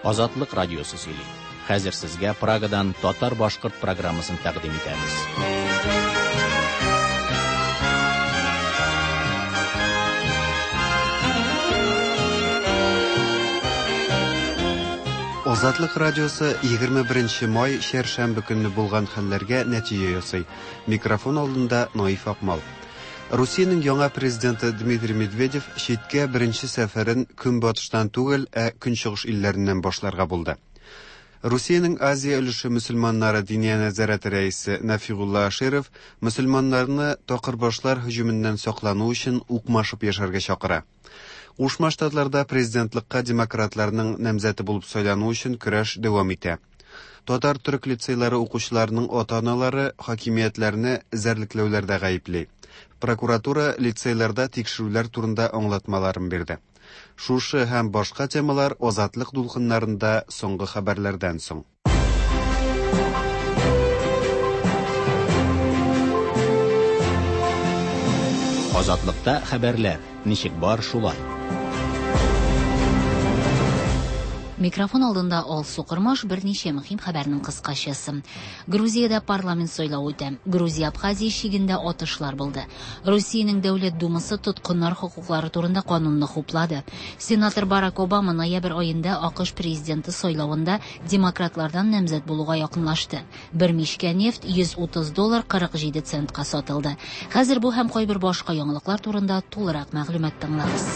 Азатлык радиосы сөйли. Хәзер сезгә Прагадан татар-башкорт программасын тәкъдим итәбез. Азатлык радиосы 21 май чәршәмбе көнне булган хәлләргә нәтиҗә ясый. Микрофон алдында Наиф Акмал. Русиянең яңа президенты Дмитрий Медведев читкә беренче сәфәрен көнбатыштан түгел, ә көнчыгыш илләреннән башларга булды. Русиянең Азия өлеше мөселманнары диния нәзарәте рәисе Нәфигулла Аширов мөселманнарны такырбашлар һөҗүменнән саклану өчен укмашып яшәргә чакыра. Кушма Штатларда президентлыкка демократларның намзәте булып сайлану өчен көрәш дәвам итә. Татар-төрек лицейлары укучыларының ата-аналары хакимиятләрне эзәрлекләүләрдә гаепли. Прокуратура лицейларда тикшерүләр турында аңлатмаларын бирде. Шушы һәм башка темалар Азатлык дулкыннарында соңгы хәбәрләрдән соң. Азатлыкта хәбәрләр ничек бар шулай. Микрофон алдында Алсу Кормаш берничә мөһим хәбәрнең кыскачасы. Грузиядә парламент сайлавы үтә. Грузия-Абхазия чигендә атышлар булды. Русиянең Дәүләт Думасы тоткыннар хокуклары турында канунны хуплады. Сенатор Барак Обама ноябрь аенда АКШ президенты сайлавында демократлардан намзәт булуга якынлашты. Бер мичкә нефть 130 доллар 47 центка сатылды. Хәзер бу һәм кайбер башка яңалыклар турында тулырак мәгълүмат тыңлагыз.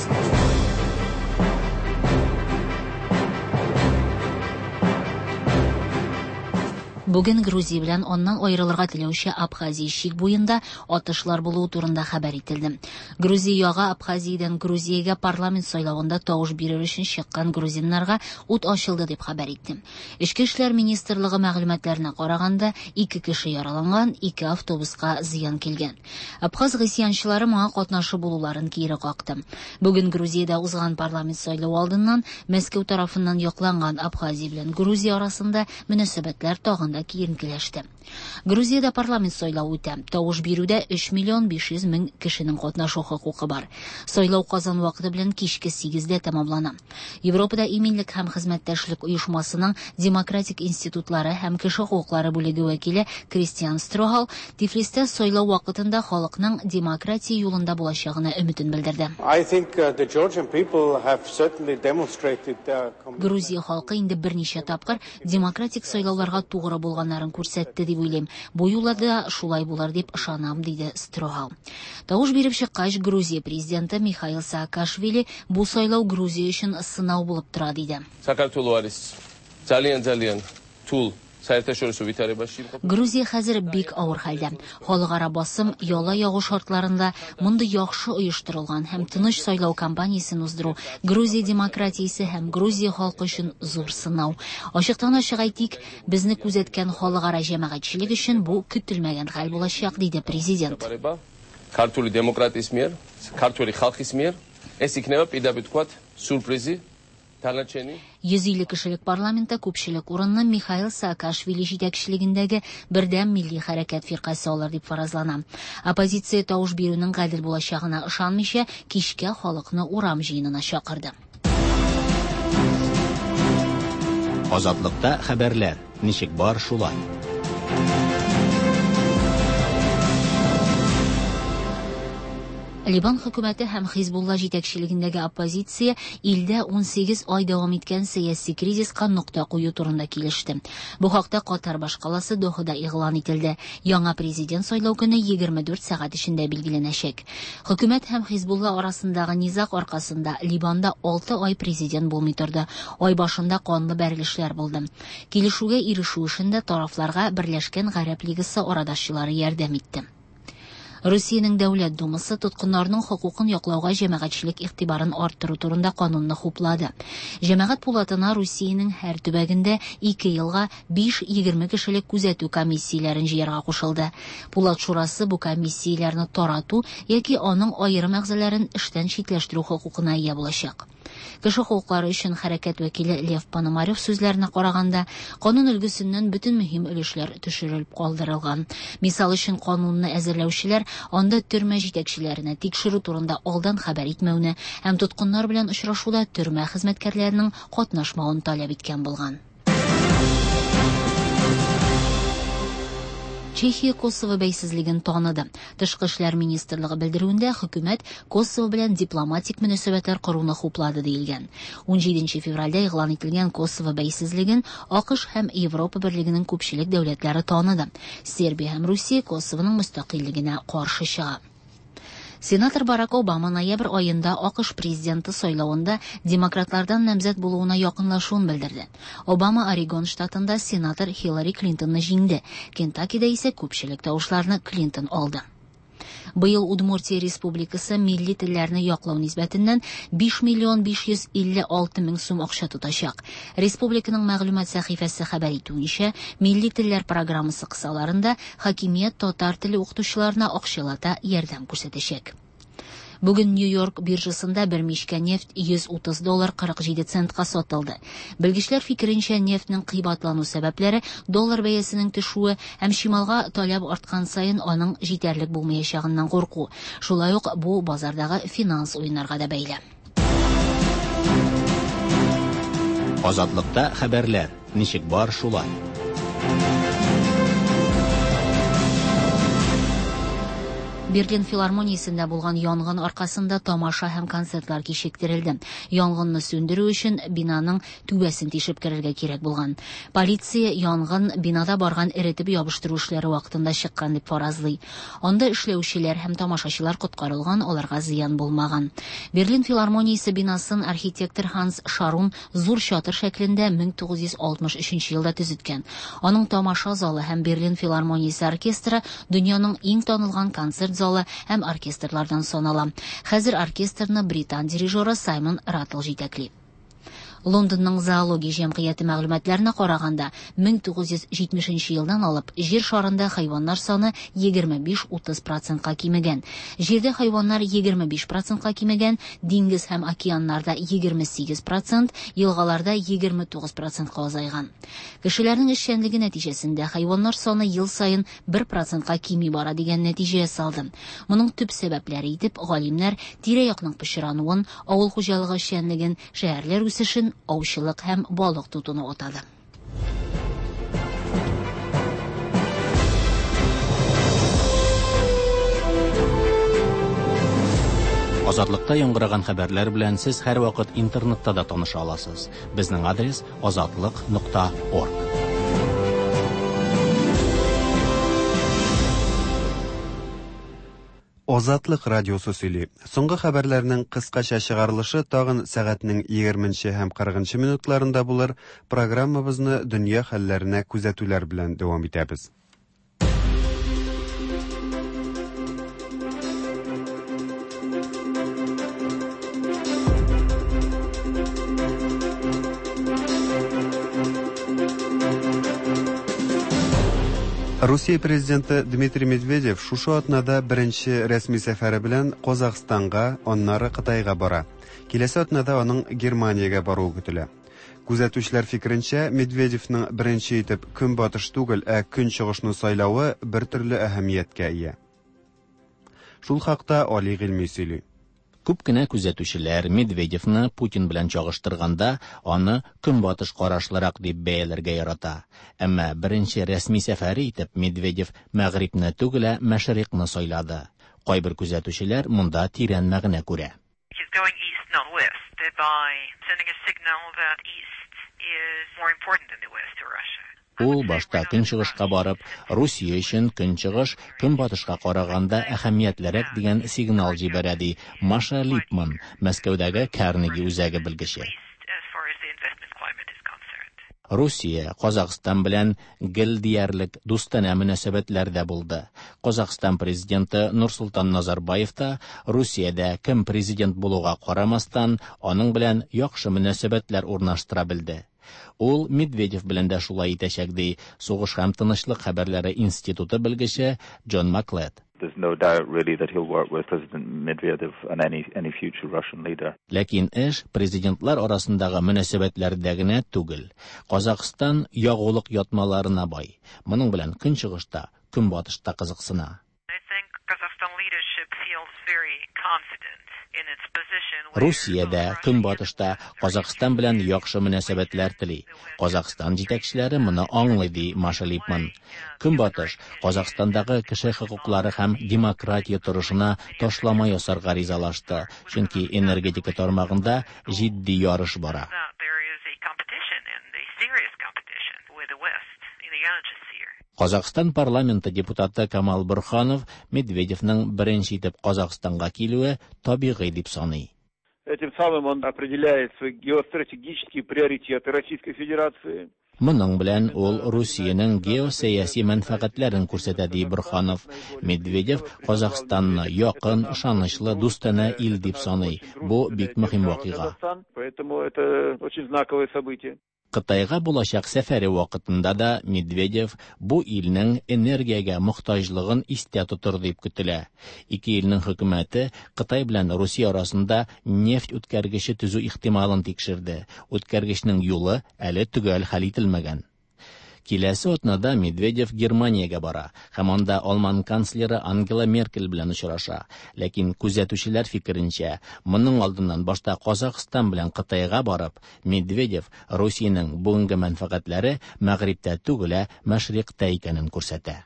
Бүген Грузия белән аннан аерылырга теләүче Абхазия чик буенда атышлар булуы турында хәбәр ителде. Грузия ягы Абхазиядән Грузиягә парламент сайлавында тавыш бирер өчен чыккан грузиннарга ут ачылды дип хәбәр итте. Эчке эшләр министрлыгы мәгълүматларына караганда, ике кеше яраланган, ике автобуска зыян килгән. Абхаз гыйсьянчылары моңа катнашы булуларын кире какты. Бүген Грузиядә узган парламент сайлавы алдыннан Мәскәү тарафыннан якланган Абхазия белән Грузия арасында мөнәсәбәтләр тагын да киеренкеләште. Грузиядә парламент сайлавы үтә. Тавыш бирүдә 3 миллион 500 мең кешенең катнашу хокукы бар. Сайлау Казан вакыты белән кичке 8дә тәмамлана. Европада иминлек һәм хезмәттәшлек оешмасының демократик институтлары һәм кеше хокуклары бүлеге вәкиле Кристиан Строхал Тифлистә сайлау вакытында халыкның демократия юлында булачагына өметен белдерде. Грузия халкы инде берничә тапкыр демократик сайлауларга тугры булганнарын күрсәтте дип уйлыйм. Бу юлы да шулай булыр дип ышанам, диде Строхал. Тавыш биреп чыккач, Грузия президенты Михаил Саакашвили бу сайлау Грузия өчен сынау булып тора, диде. საქართველო არის ძალიან ძალიან რთულ საერთაშორისო ვითარებაში იმყოფება. Грузия хәзер бик авыр хәлдә. Халыкара басым, яла ягу шартларында мондый яхшы оештырылган һәм тыныч сайлау кампаниясен уздыру Грузия демократиясе һәм Грузия халкы өчен зур сынау. Ачыктан ачык әйтик, безне күзәткән халыкара җәмәгатьчелек өчен бу көтелмәгән хәл булачак, диде президент. ჩაბარება ქართული დემოკრატიის მიერ, ქართული ხალხის მიერ, ეს იქნება პირდაპირ ვთქვათ სიურპრიზი დანარჩენი 150 кешелек парламентта күпчелек урынны Михаил Саакашвили җитәкчелегендәге Бердәм милли хәрәкәт фиркасе алыр дип фаразлана. Оппозиция тавыш бирүнең гадел булачагына ышанмыйча, кичкә халыкны урам җыенына чакырды. Азатлыкта хәбәрләр ничек бар шулай. Либан хөкүмәте һәм Хизбулла җитәкчелегендәге оппозиция илдә 18 ай дәвам иткән сәяси кризиска нокта кую турында килеште. Бу хакта Катар башкаласы Дохада игълан ителде. Яңа президент сайлау көне 24 сәгать эчендә билгеләнәчәк. Хөкүмәт һәм Хизбулла арасындагы низаг аркасында Либанда 6 ай президент булмый торды. Ай башында канлы бәрелешләр булды. Килешүгә ирешү эшендә тарафларга Берләшкән Гарәп Лигасы арадашчылары ярдәм итте. Русиянең Дәүләт Думасы тоткыннарның хокукын яклауга җәмәгатьчелек игътибарын арттыру турында канунны хуплады. Җәмәгать пулатына Русиянең һәр төбәгендә 2 елга 5-20 кешелек күзәтү комиссияләрен җыярга кушылды. Пулат шурасы бу комиссияләрне тарату яки аның аерым әгъзаларын эштән читләштерү хокукына ия булачак. Кеше хокуклары өчен хәрәкәт вәкиле Лев Пономарев сүзләренә караганда, канун өлгесеннән бөтен мөһим өлешләр төшерелеп калдырылган. Мисал өчен, канунны әзерләүчеләр анда төрмә җитәкчеләренә тикшерү турында алдан хәбәр итмәүне һәм тоткыннар белән очрашуда төрмә хезмәткәрләренең катнашмавын таләп иткән булган. Чехия Косово бәйсезлеген таныды. Тышкы эшләр министрлыгы белдерүендә хөкүмәт Косово белән дипломатик мөнәсәбәтләр коруны хуплады диелгән. 17 февральдә игълан ителгән Косово бәйсезлеген АКШ һәм Европа берлегенең күпчелек дәүләтләре таныды. Сербия һәм Русия Косовоның мөстәкыйльлегенә каршы чыга. Сенатор Барак Обама ноябрь аенда АКШ президенты сайлавында демократлардан намзәт булуына якынлашуын белдерде. Обама Орегон штатында сенатор Хиллари Клинтонны җиңде. Кентаккида исә күпчелек тавышларны Клинтон алды. Быел Удмуртия Республикасы милли телләрне яклау нисбәтеннән 5 миллион 556 мең сум акча тотачак. Республиканың мәгълүмат сәхифәсе хәбәр итүенчә, милли телләр программасы кысаларында хакимият татар теле укытучыларына акчалата ярдәм күрсәтәчәк. Бүген Нью-Йорк биржасында бер мичкә нефть 130 доллар 47 центка сатылды. Белгечләр фикеренчә, нефтьнең кыйбатлану сәбәпләре доллар бәясенең төшүе һәм чималга таләп арткан саен аның җитәрлек булмаячагыннан курку. Шулай ук бу базардагы финанс уеннарга да бәйле. Азатлыкта хәбәрләр ничек бар шулай. Берлин филармониясендә булган янгын аркасында тамаша һәм концертлар кичектерелде. Янгынны сүндерү өчен бинаның түбәсен тишеп керергә кирәк булган. Полиция янгын бинада барган эретеп ябыштыру эшләре вакытында чыккан дип фаразлый. Анда эшләүчеләр һәм тамашачылар коткарылган, аларга зыян булмаган. Берлин филармониясе бинасын архитектор Ханс Шарун зур чатыр шәклендә 1963 елда төзеткән. Аның тамаша залы һәм Берлин филармониясе оркестры дөньяның иң танылган концерт залы һәм оркестрлардан санала. Хәзер оркестрны британ дирижеры Саймон Раттл җитәкли. Лондонның зоология җәмгыяте мәгълүматларына караганда, 1970 елдан алып җир шарында хайваннар саны 25-30%ка кимегән. Җирдә хайваннар 25%ка кимегән, диңгез һәм океаннарда 28%, елгаларда 29%ка азайган. Кешеләрнең эшчәнлеге нәтиҗәсендә хайваннар саны ел саен 1%ка кими бара дигән нәтиҗә ясалды. Моның төп сәбәпләре итеп галимнәр тирә-якның пычрануын, авыл хуҗалыгы эшчәнлеген, шәһәрләр үсешен, аучылык һәм балык тотуны атады. Азатлыкта яңгыраган хәбәрләр белән сез һәрвакыт интернетта да таныша аласыз. Безнең адрес azatliq.org. Азатлык радиосы сөйли. Соңгы хәбәрләрнең кыскача чыгарылышы тагын сәгатьнең 20 һәм 40 минутларында булыр. Программабызны дөнья хәлләренә күзәтүләр белән дәвам итәбез. Русия президенты Дмитрий Медведев шушы атнада беренче рәсми сәфәре белән Казахстанга, аннары Кытайга бара. Киләсе атнада аның Германиягә баруы көтелә. Күзәтүчеләр фикеренчә, Медведевның беренче итеп көнбатыш түгел, ә көнчыгышны сайлавы бер төрле әһәмияткә ия. Шул хакта Али Гыйльми сөйли. Күп кенә күзәтүчеләр Медведевны Путин белән чагыштырганда аны көнбатыш карашлырак дип бәяләргә ярата. Әмма беренче рәсми сәфәре итеп Медведев Мәгърибне түгел, ә Мәшрикъны сайлады. Кайбер күзәтүчеләр монда тирән мәгънә күрә. He's going east, not west, thereby sending a signal that east is more important than the west to Russia. Ул башта көнчыгышка барып, Русия өчен көнчыгыш көнбатышка караганда әһәмиятлерәк дигән сигнал җибәрә, ди Маша Липман, Мәскәүдәге Карнеги үзәге белгече. As far as the investment climate is concerned. Русия Казахстан белән гел диярлек дустанә мөнәсәбәтләрдә булды. Казахстан президенты Нурсултан Назарбаев та Русиядә кем президент булуга карамастан, аның белән яхшы мөнәсәбәтләр урнаштыра белде. Ул Медведев белән дә шулай итәчәк, ди Сугыш һәм тынычлык хәбәрләре институты белгече Джон Маклет. There's no doubt really that he'll work with President Medvedev and any future Russian leader. Ләкин эш президентлар арасындагы мөнәсәбәтләрдә генә түгел. Казакъстан ягулык ятмаларына бай. Моның белән Көнчыгыш та, Көнбатыш та кызыксына. I think Kazakhstan leadership feels very confident in its position. Русия дә, Көнбатыш та Казакъстан белән яхшы мөнәсәбәтләр тели. Казакъстан җитәкчеләре моны аңлый, ди Маша Липман. Көнбатыш Казакъстандагы кеше хокуклары һәм демократия торышына ташлама ясарга ризалашты, чөнки энергетика тармагында җитди ярыш бара. That there is a competition and a serious competition with the West in the energy sphere. Казакъстан парламенты депутаты Камал Бурханов Медведевның беренче итеп Казакъстанга килүе табигый дип саный. Этим самым он определяет свои геостратегические приоритеты Российской Федерации. Моның белән ул Русиянең геосәяси мәнфәгатьләрен күрсәтә, ди Бурханов. Медведев Казакъстанны якын, ышанычлы, дустанә ил дип саный. Бу бик мөһим вакыйга. Поэтому это очень знаковое событие. Кытайга булачак сәфәре вакытында да Медведев бу илнең энергиягә мохтаҗлыгын истә тотыр дип көтелә. Ике илнең хөкүмәте Кытай белән Русия арасында нефть үткәргече төзү ихтималын тикшерде. Үткәргечнең юлы әле төгәл хәл ителмәгән. Киләсе атнада Медведев Германиягә бара һәм анда алман канцлеры Ангела Меркель белән очраша. Ләкин күзәтүчеләр фикеренчә, моның алдыннан башта Казакъстан белән Кытайга барып, Медведев Русиянең бүгенге мәнфәгатьләре Мәгърибтә түгел, ә Мәшрикътә икәнен күрсәтә.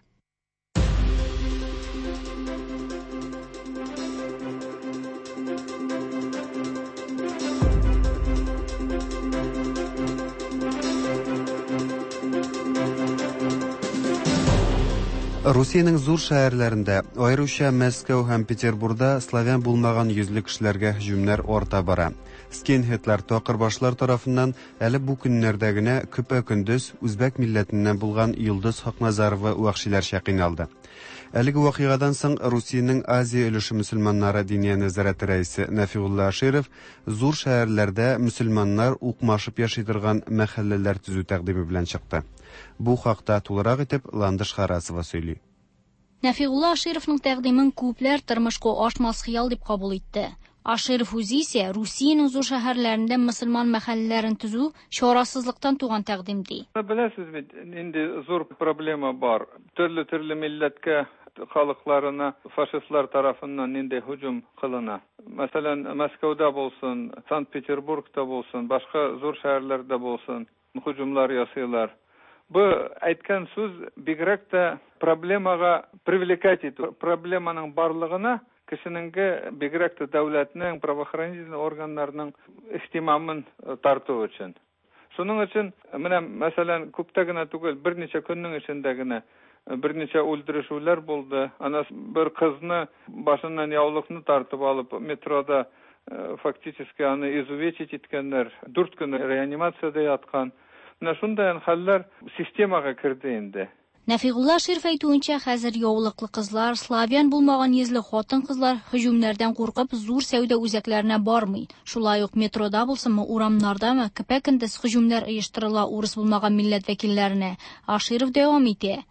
Русиянең зур шәһәрләрендә, аеруча Мәскәү һәм Петербурда славян булмаган йөзле кешеләргә һөҗүмнәр арта бара. Скинхедлар такырбашлар тарафыннан әле бу көннәрдә генә көпә-көндез үзбәк милләтеннән булган Йолдыз Хакназарова вәхшиләрчә кыйналды. Әлеге вакыйгадан соң Русиянең Азия өлеше мөселманнары диния нәзарәте рәисе Нәфигулла Аширов зур шәһәрләрдә мөселманнар укмашып яши торган мәхәлләләр төзү тәкъдиме белән чыкты. Бу хакта тулырак итеп Ландыш Харасова сөйли. Нәфигулла Ашировның тәкъдимен күпләр тормышка ашмас хыял дип кабул итте. Аширов үзе исә Русиянең зур шәһәрләрендә мөселман мәхәлләләрен төзү чарасызлыктан туган тәкъдим ди. Беләсез бит, нинди зур проблема бар. Төрле-төрле милләткә, халыкларына фашистлар тарафыннан нинди һөҗүм кылына. Мәсәлән, Мәскәүдә булсын, Санкт-Петербургта булсын, башка зур шәһәрләрдә булсын, һөҗүмләр ясыйлар. Бу әйткән сүз бигрәк тә проблемага привлекать итү, проблеманың барлыгына кешенеңгә бигрәк тә дәүләтнең, правоохранительный органнарның ихтимамын тарту өчен. Шуның өчен менә мәсәлән, күптә генә түгел, берничә көннең эчендә генә берничә үldерүшүләр булды. Ана бер кызны башыннан яулыкны тартып алып метрода фактически аны изувечить иткәннәр. 4 көн реанимациядә яткан. Менә шундый хәлләр системага керде инде. Нәфигулла Аширов әйтүенчә, хәзер яулыклы кызлар, славян булмаган йөзле хатын-кызлар һөҗүмнәрдән куркып зур сәүдә үзәкләренә бармый. Шулай ук метрода булсынмы, урамнардамы, көпә-көндез һөҗүмнәр оештырыла урыс булмаган милләт вәкилләренә. Аширов дәвам итә.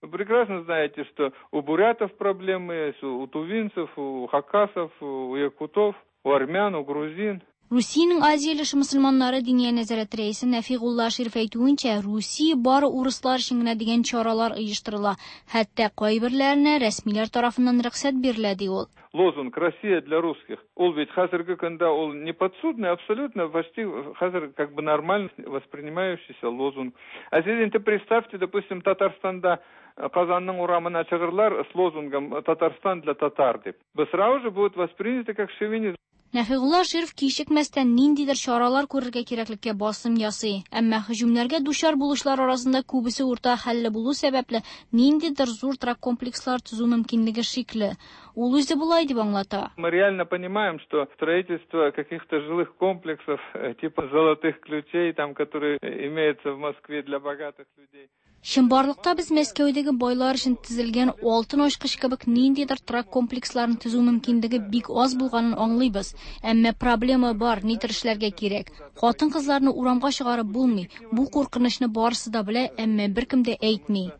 Вы прекрасно знаете, что у бурятов проблемы есть, у тувинцев, у хакасов, у якутов, у армян, у грузин. Русиянең Азия өлеше мөселманнары диния нәзарәте рәисе Нәфигулла Аширов әйтүенчә, Русия бары урыслар өчен генә дигән чаралар оештырыла. Хәтта кайберләренә рәсмиләр тарафыннан рөхсәт бирелә, ди ул. Лозунг «Россия для русских». Ул бит хәзерге көндә ул неподсудный, абсолютно почти хәзер как бы нормально воспринимающийся лозунг. А сез инде представьте, допустим, Татарстанда Казанның урамына чыгырлар с лозунгом «Татарстан для татар» дип. Бу сразу же будет воспринято как шовинизм. Нәфигулла Аширов кичекмәстән ниндидер чаралар күрергә кирәклеккә басым ясый. Әмма һөҗүмнәргә дучар булучылар арасында күбесе урта хәлле булу сәбәпле ниндидер зур торак комплекслар төзү мөмкинлеге шикле. Ул үзе болай дип аңлата. Мы реально понимаем, что строительство каких-то жилых комплексов, типа золотых ключей, которые имеются в Москве для богатых людей. Чынбарлыкта без Мәскәүдәге байлар өчен төзелгән алтын ачкыч кебек ниндидер торак комплексларын төзү мөмкинлеге бик аз булганын аңлыйбыз. Әмма проблема бар, нидер эшләргә кирәк. Хатын-кызларны урамга чыгарып булмый. Бу куркынычны барысы да белә, әмма беркем дә әйтми.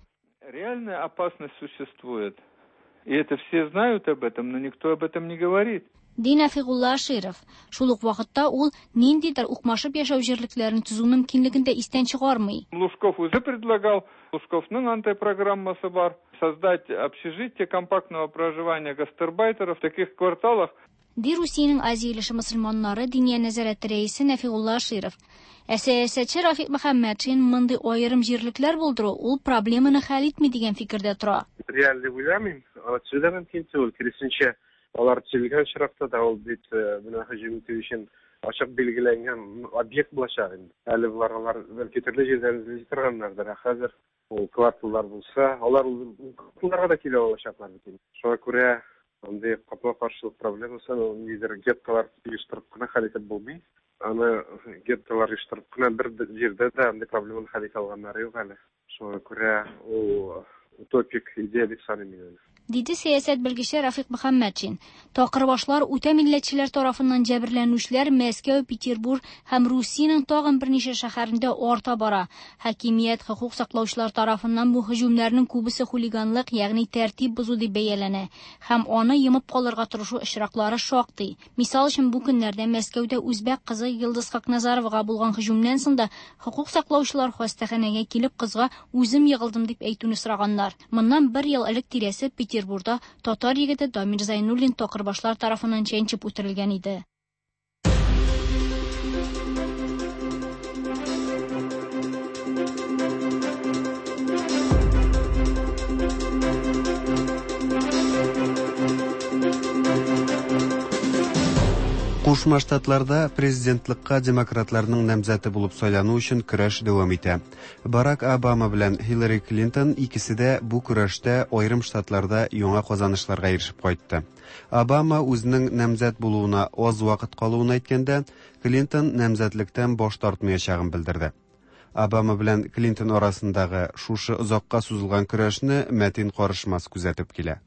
Реальная опасность существует. И это все знают об этом, но никто об этом не говорит. Ди Нәфигулла Аширов. Шул ук вакытта ул ниндидер укмашып яшәү җирлекләрен төзү мөмкинлеген дә истән чыгармый. Лужков үзе предлагал, Лужковның андый программасы бар, создать общежитие компактного проживания гастарбайтеров в таких кварталах. Ди Русиянең Азия өлеше мөселманнары Диния нәзарәте рәисе Нәфигулла Аширов. Ә сәясәтче Рафик Мөхәммәтшин мондый аерым җирлекләр булдыру ул проблеманы хәл итми дигән фикердә тора. Реаль дип уйламыйм. Аны төзү дә мөмкин түгел. Киресенчә, алар төзелгән очракта да ул бит менә һөҗүм итү өчен ачык билгеләнгән объект булачак инде. Әле болар алар бәлки төрле җирдән эзли торганнардыр, ә хәзер ул кварталлар булса, алар ул кварталларга да килә алачаклар бит инде. Шуңа күрә андый капма-каршылык проблемасын ул ниндидер геттолар оештырып кына хәл итеп булмый. Аны геттолар оештырып кына бер җирдә дә андый проблеманы хәл итә алганнары юк әле. Шуңа күрә ул утопик идея дип саныйм мин аны. Диде сәясәт белгече Рафик Мөхәммәтшин. Такырбашлар, үтә милләтчеләр тарафыннан җәберләнүчеләр Мәскәү, Петербург һәм Русиянең тагын берничә шәһәрендә арта бара. Хакимият, хокук саклаучылар тарафыннан бу һөҗүмнәрнең күбесе хулиганлык, ягъни тәртип бозу дип бәяләнә һәм аны йомып калырга тырышу очраклары шактый. Мисал өчен, бу көннәрдә Мәскәүдә үзбәк кызы Йолдыз Хакназаровага булган һөҗүмнән соң да хокук саклаучылар хастаханәгә килеп кызга үзем егылдым дип әйтүне сораганнар. Моннан бер ел элек тирәсе Петербурда татар егете Дамир Зайнуллин такырбашлар тарафыннан чәнчеп үтерелгән иде. Кушма Штатларда президентлыкка демократларның намзәте булып сайлану өчен көрәш дәвам итә. Барак Обама белән Хиллари Клинтон икесе дә бу көрәштә аерым штатларда яңа казанышларга ирешеп кайтты. Обама үзенең намзәт булуына аз вакыт калуын әйткәндә, Клинтон намзәтлектән баш тартмаячагын белдерде. Обама белән Клинтон арасындагы шушы озакка сузылган көрәшне Мәтин Карышмас күзәтеп килә.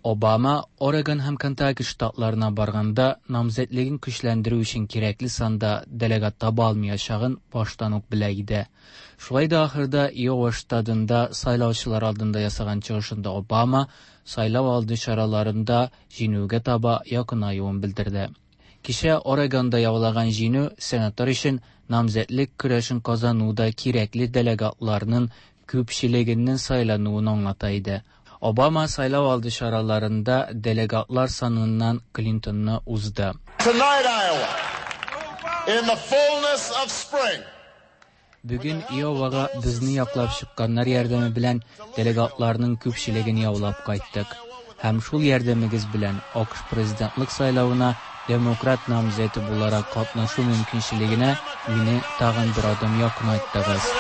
Обама Орегон һәм Кентаки штатларына барганда намзәтлеген көчләндерү өчен кирәкле санда делегат таба алмаячагын баштан ук белә иде. Шулай да ахырда Иова штатында сайлаучылар алдында ясаган чыгышында Обама сайлау алды чараларында җиңүгә таба якынаюын белдерде. Кичә Орегонда яулаган җиңү сенатор өчен намзәтлек көрәшен казануда кирәкле делегатларның күпчелегенең сайлануын аңлата иде. Обама сайлау алды чараларында делегатлар саныннан Клинтонны узды. Tonight, Iowa, in the fullness of spring. Бүген Иовага безне яклап чыкканнар ярдәме белән делегатларның күпчелеген яулап кайттык. Һәм шул ярдәмегез белән АКШ президентлык сайлавына демократ намзәте буларак катнашу мөмкинчелегенә мине тагын бер адым якынайттыгыз.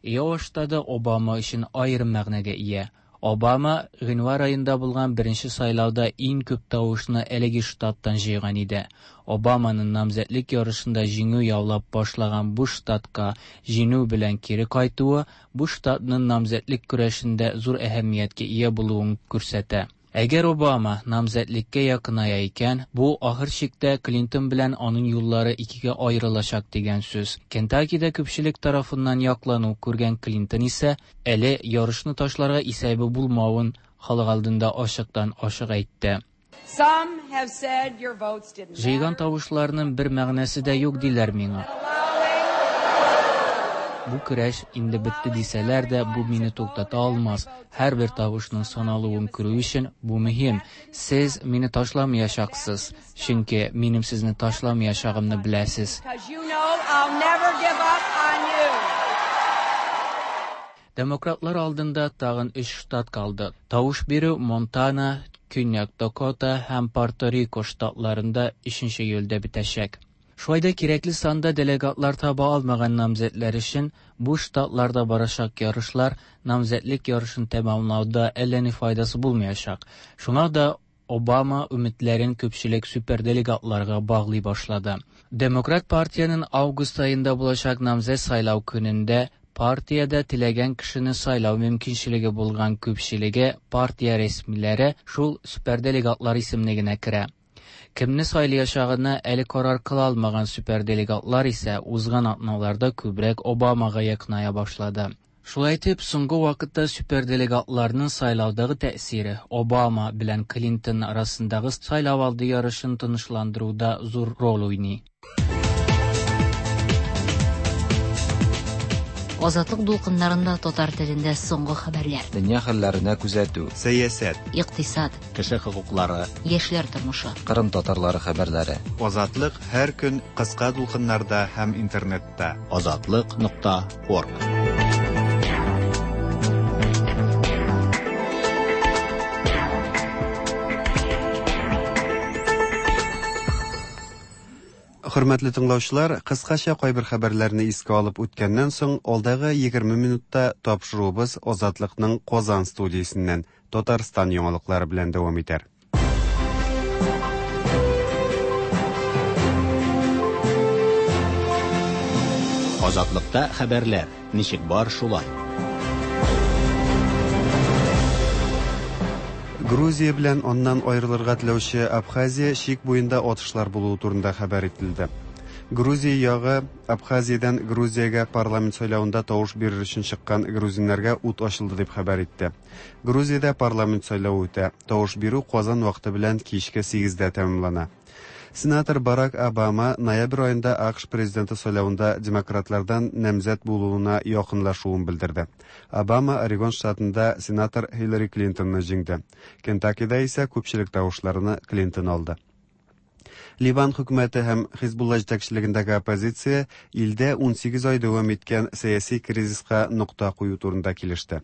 Иова штаты Обама өчен аерым мәгънәгә ия. Обама гыйнвар аенда булган беренче сайлауда иң күп тавышны әлеге штаттан җыйган иде. Обаманың намзәтлек ярышында җиңү яулап башлаган бу штатка җиңү белән кире кайтуы бу штатның намзәтлек көрәшендә зур әһәмияткә ия булуын күрсәтә. Әгәр Обама намзәтлеккә якыная икән, бу ахыр чиктә Клинтон белән аның юллары икегә аерылачак дигән сүз. Кентакида күпчелек тарафыннан яклану күргән Клинтон исә әле ярышны ташларга исәбе булмавын халык алдында ачыктан ачык әйтте. Җыйган тавышларның бер мәгънәсе дә юк диләр миңа. Бу көрәш инде бетте дисәләр дә, бу мине туктата алмас. Һәрбер тавышның саналуын күрү өчен бу мөһим. Сез мине ташламаячаксыз, чөнки минем сезне ташламаячагымны беләсез. Демократлар алдында тагын өч штат калды. Тавыш бирү Монтана, Көньяк Дакота һәм Пуэрто-Рико штатларында 3 июльдә бетәчәк. Шулай да кирәкле санда делегатлар таба алмаган намзәтләр өчен бу штатларда барачак ярышлар намзәтлек ярышын тәмамлауда әллә ни файдасы булмаячак. Шуңа да Обама өметләрен күпчелек суперделегатларга баглый башлады. Демократ партиянең август аенда булачак намзәт сайлау көнендә партиядә теләгән кешене сайлау мөмкинчелеге булган күпчелеге партия рәсмиләре шул суперделегатлар исемлегенә керә. Кемне сайлаячагына әле карар кыла алмаган суперделегатлар исә узган атналарда күбрәк Обамага якыная башлады. Шулай итеп, соңгы вакытта суперделегатларның сайлаудагы тәэсире Обама белән Клинтон арасындагы сайлау алды ярышын тынычландыруда зур роль уйный. Азатлык дулкыннарында татар телендә соңгы хәбәрләр. Дөнья хәлләренә күзәтү. Сәясәт. Икътисад. Кеше хокуклары. Яшьләр тормышы. Кырым татарлары хәбәрләре. Азатлык һәр көн кыска дулкыннарда һәм интернетта. Азатлык.орг. Хөрмәтле тыңлаучылар, кыскача кайбер хәбәрләрне искә алып үткәннән соң, алдагы 20 минутта тапшыруыбыз Азатлыкның Казан студиясеннән Татарстан яңалыклары белән дәвам итәр. Азатлыкта хәбәрләр ничек бар шулай. Грузия белән аннан аерылырга теләүче Абхазия чик буенда атышлар булуы турында хәбәр ителде. Грузия ягы Абхазиядән Грузиягә парламент сайлавында тавыш бирер өчен чыккан грузиннарга ут ачылды дип хәбәр итте. Грузиядә парламент сайлавы үтә. Тавыш бирү Казан вакыты белән кичке 8дә тәмамлана. Сенатор Барак Обама ноябрь аенда АКШ президенты сайлавында демократлардан намзәт булуына якынлашуын белдерде. Обама Орегон штатында сенатор Хиллари Клинтонны җиңде. Кентаккида исә күпчелек тавышларны Клинтон алды. Ливан хөкүмәте һәм Хизбулла җитәкчелегендәге оппозиция илдә 18 ай дәвам иткән сәяси кризиска нокта кую турында килеште.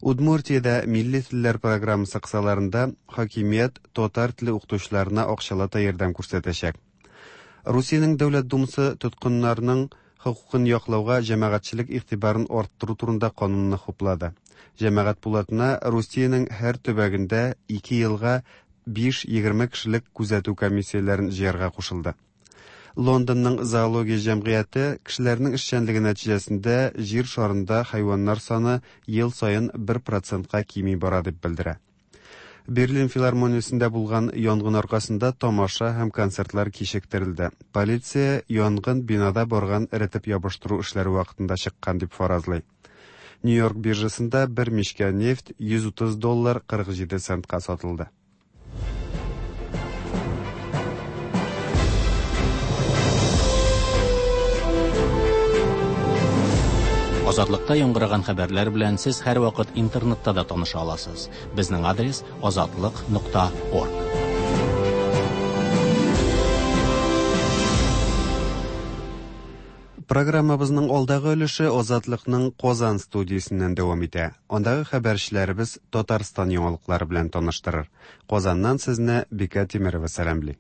Удмуртиядә милли телләр программасы кысаларында хакимият татар теле укытучыларына акчалата ярдәм күрсәтәчәк. Русиянең Дәүләт Думасы тоткыннарның хокукын яклауга җәмәгатьчелек игътибарын арттыру турында канунны хуплады. Җәмәгать пулатына Русиянең һәр төбәгендә 2 елга 5-20 кешелек күзәтү комиссияләрен җыярга кушылды. Лондонның зоология җәмгыяте кешеләрнең эшчәнлеге нәтиҗәсендә җир шарында хайваннар саны ел саен 1%ка кими бара дип белдерә. Берлин филармониясендә булган янгын аркасында тамаша һәм концертлар кичектерелде. Полиция янгын бинада барган эретеп ябыштыру эшләре вакытында чыккан дип фаразлый. Нью-Йорк биржасында бер мичкә нефть 130 доллар 47 центка сатылды. Азатлыкта яңгыраган хәбәрләр белән сез һәрвакыт интернетта да таныша аласыз. Безнең адрес азатлык.орг. Программабызның алдагы өлеше Азатлыкның Казан студиясеннән дәвам итә. Андагы хәбәрчеләребез Татарстан яңалыклары белән таныштырыр. Казаннан сезне Бикә Тимерова сәламли.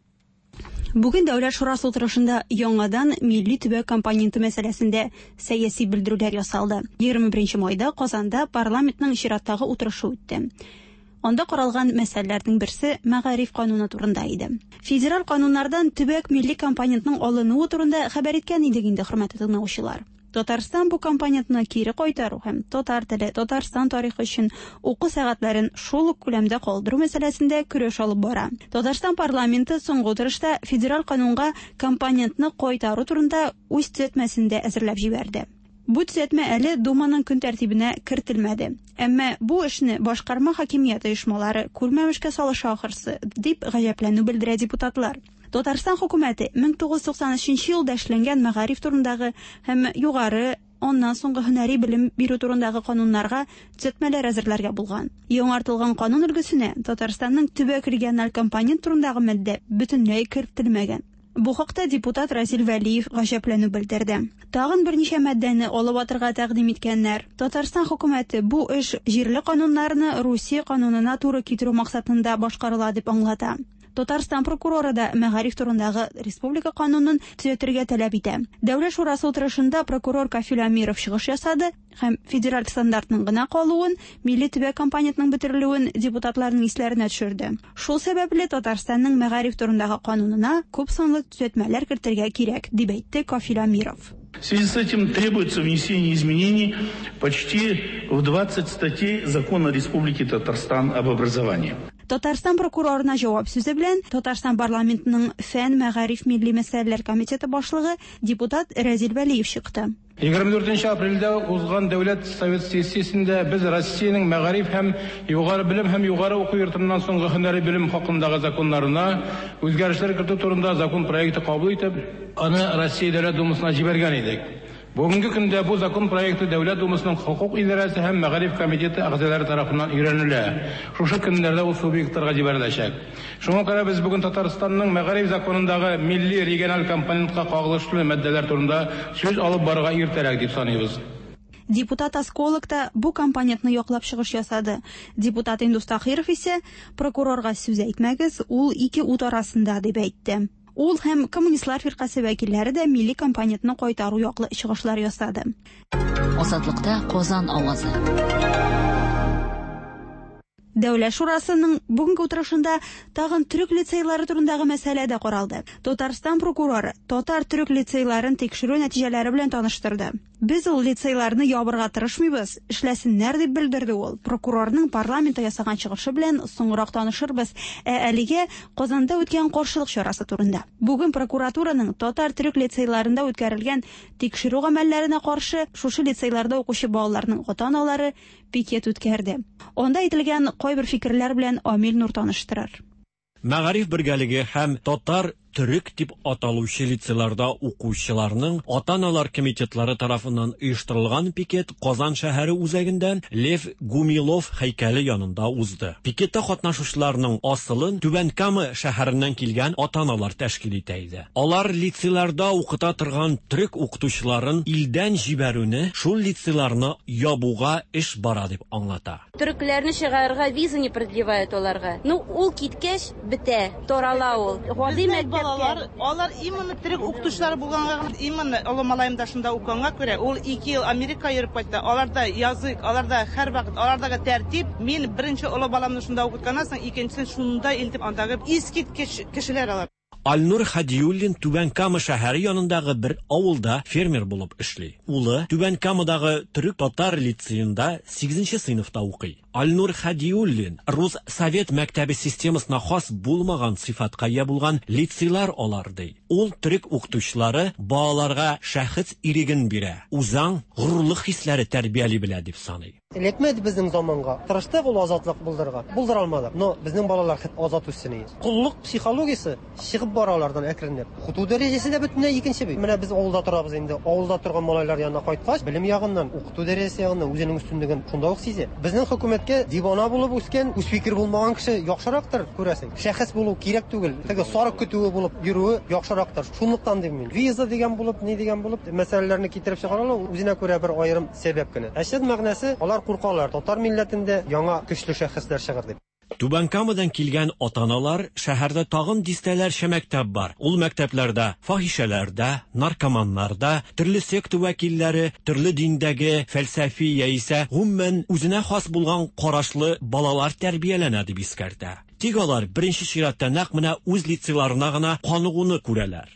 Бүген Дәүләт шурасы утырышында яңадан милли төбәк компоненты мәсьәләсендә сәяси белдерүләр ясалды. 21 майда Казанда парламентның чираттагы утырышы үтте. Анда каралган мәсьәләләрнең берсе мәгариф кануны турында иде. Федераль кануннардан төбәк милли компонентның алынуы турында хәбәр иткән идек инде, хөрмәтле тыңлаучылар. Татарстан бу компонентны кире кайтару һәм татар теле, Татарстан тарихы өчен уку сәгатьләрен шул ук күләмдә калдыру мәсьәләсендә көрәш алып бара. Татарстан парламенты соңгы утырышта федераль канунга компонентны кайтару турында үз төзәтмәсен дә әзерләп җибәрде. Бу төзәтмә әле Думаның көн тәртибенә кертелмәде. Әмма бу эшне башкарма хакимият оешмалары күрмәмешкә салыша ахырсы, дип гаҗәпләнү белдерә депутатлар. Татарстан хөкүмәте 1993 елда эшләнгән мәгариф турындагы һәм югары, аннан соңгы һөнәри белем бирү турындагы кануннарга төзәтмәләр әзерләргә булган. Яңартылган канун өлгесенә Татарстанның төбәк региональ компонент турындагы маддә бөтенләй кертелмәгән. Бу хакта депутат Разил Вәлиев гаҗәпләнү белдерде. Тагын берничә маддәне алып атырга тәкъдим иткәннәр. Татарстан хөкүмәте бу эш җирле кануннарны Русия канунына туры китерү максатында башкарыла дип аңлата. Татарстан прокуроры да мәгариф турындагы республика канунын төзәтергә таләп итә. Дәүләт шурасы утырышында прокурор Кафил Амиров чыгыш ясады һәм федераль стандартның гына калуын, милли төбәк компонентның бетерелүен депутатларның исләренә төшерде. Шул сәбәпле Татарстанның мәгариф турындагы канунына күп санлы төзәтмәләр кертергә кирәк, дип әйтте Кафил Амиров. В связи с этим требуется внесение изменений почти в 20 статей Закона Республики Татарстан об образовании. Татарстан прокурорына җавап сүзе белән Татарстан парламентының фән, мәгариф, милли мәсьәләләр комитеты башлыгы депутат Рәзил Вәлиев чыкты. 24 апрельдә узган Дәүләт Совет сессиясендә без Россиянең мәгариф һәм югары белем һәм югары уку йортыннан соңгы һөнәри белем хакындагы законнарына үзгәрешләр кертү турында закон проекты кабул итеп, аны Россия Дәүләт Думасына җибәргән идек. Бүгенге көндә бу закон проекты Дәүләт Думасының хокук идарәсе һәм мәгариф комитеты әгъзалары тарафыннан өйрәнелә. Шушы көннәрдә ул субъектларга җибәреләчәк. Шуңа күрә без бүген Татарстанның мәгариф законындагы милли региональ компонентка кагылышлы маддәләр турында сүз алып барырга иртәрәк дип саныйбыз. Депутат Осколок та бу компонентны яклап чыгыш ясады. Депутат Индус Тахиров исә прокурорга сүз әйтмәгез, ул ике ут арасында дип әйтте. Ул һәм Коммунистлар фиркасе вәкилләре дә милли компонентны кайтару яклы чыгышлар ясады. Азатлыкта Казан авазы. Дәүләт шурасының бүгенге утырышында тагын төрек лицейлары турындагы мәсьәлә дә каралды. Татарстан прокуроры татар төрек лицейларын тикшерү нәтиҗәләре белән таныштырды. Без ул лицейларны ябырга тырышмыйбыз, эшләсеннәр дип белдерде ул. Прокурорның парламентта ясаган чыгышы белән соңрак танышырбыз. Ә әлегә Казанда үткән каршылык чарасы турында. Бүген прокуратураның татар төрек лицейларында үткәрелгән тикшерү гамәлләренә каршы шушы лицейларда укучы балаларның ата-аналары пикет үткәрде. Анда әйтелгән кайбер фикерләр белән Амил Нур таныштырыр. Мәгариф бергәлеге һәм татар төрек дип аталучы лицейларда укучыларның ата-аналар комитетлары тарафыннан оештырылган пикет Казан шәһәре үзәгендә Лев Гумилов һәйкәле янында узды. Пикетта катнашучыларның асылын Түбән Кама шәһәреннән килгән ата-аналар тәшкил итә иде. Алар лицейларда укыта торган төрек укытучыларын илдән җибәрүне шул лицейларны ябуга эш бара дип аңлата. Төрекләрне чыгарырга виза не продлевают аларга. Ну, ул киткәч, бетә, тарала ул. Гади Безнең балалар, алар именно төрек укытучылары булганга гына, именно олы малаем да шунда укыганга күрә, ул 2 ел Америка йөреп кайтты. Аларда язык, аларда һәрвакыт, алардагы тәртип. Мин беренче олы баламны шунда укытканнан соң, икенчесен шунда илтеп, андагы искиткеч кешеләр алар. Альнур Хадиуллин Түбән Кама шәһәре янындагы бер авылда фермер булып эшли. Улы Түбән Камадагы төрек-татар лицеенда 8 сыйныфта укый. Альнур Хадиуллин рус совет мәктәбе системасына хас булмаган сыйфатка ия булган лицейлар алар ди. Ул төрек укытучылары балаларга шәхес иреген бирә, үзаң, горурлык хисләре тәрбияли белә дип саный. Эләкмәде безнең заманга. Тырыштык ул азатлык булдырырга. Булдыра алмадык. Но безнең балалар хет азат үссен иде. Коллык психологиясе чыгып бара алардан әкренләп. Укыту дәрәҗәсе дә бөтенләй икенче бит. Менә без авылда торабыз инде. Авылда торган малайлар янына кайткач, белем ягыннан, укыту дәрәҗәсе ягыннан үзенең өстенлеген шунда ук сизә. Безнең хөкүмәткә дивана булып үскән, үз фикер булмаган кеше яхшырактыр, күрәсең. Шәхес булу кирәк түгел. Теге сарык көтүе булып йөрүе яхшырактыр. Шунлыктан дим мин. Виза дигән булып, ни дигән булып, мәсьәләләрне китереп чыгаралар, үзенә күрә бер аерым сәбәп кенә. Ә чын мәгънәсе, алар куркалар, татар милләтендә яңа көчле шәхесләр чыгыр дип. Түбән Камадан килгән ата-аналар шәһәрдә тагын дистәләрчә мәктәп бар. Ул мәктәпләрдә фахишәләрдә, наркоманнарда, төрле секта вәкилләре, төрле диндәге, фәлсәфи яисә гомумән үзенә хас булган карашлы балалар тәрбияләнә дип искәртә. Тик алар беренче чиратта нәкъ менә үз лицейларына гына каныгуны күрәләр.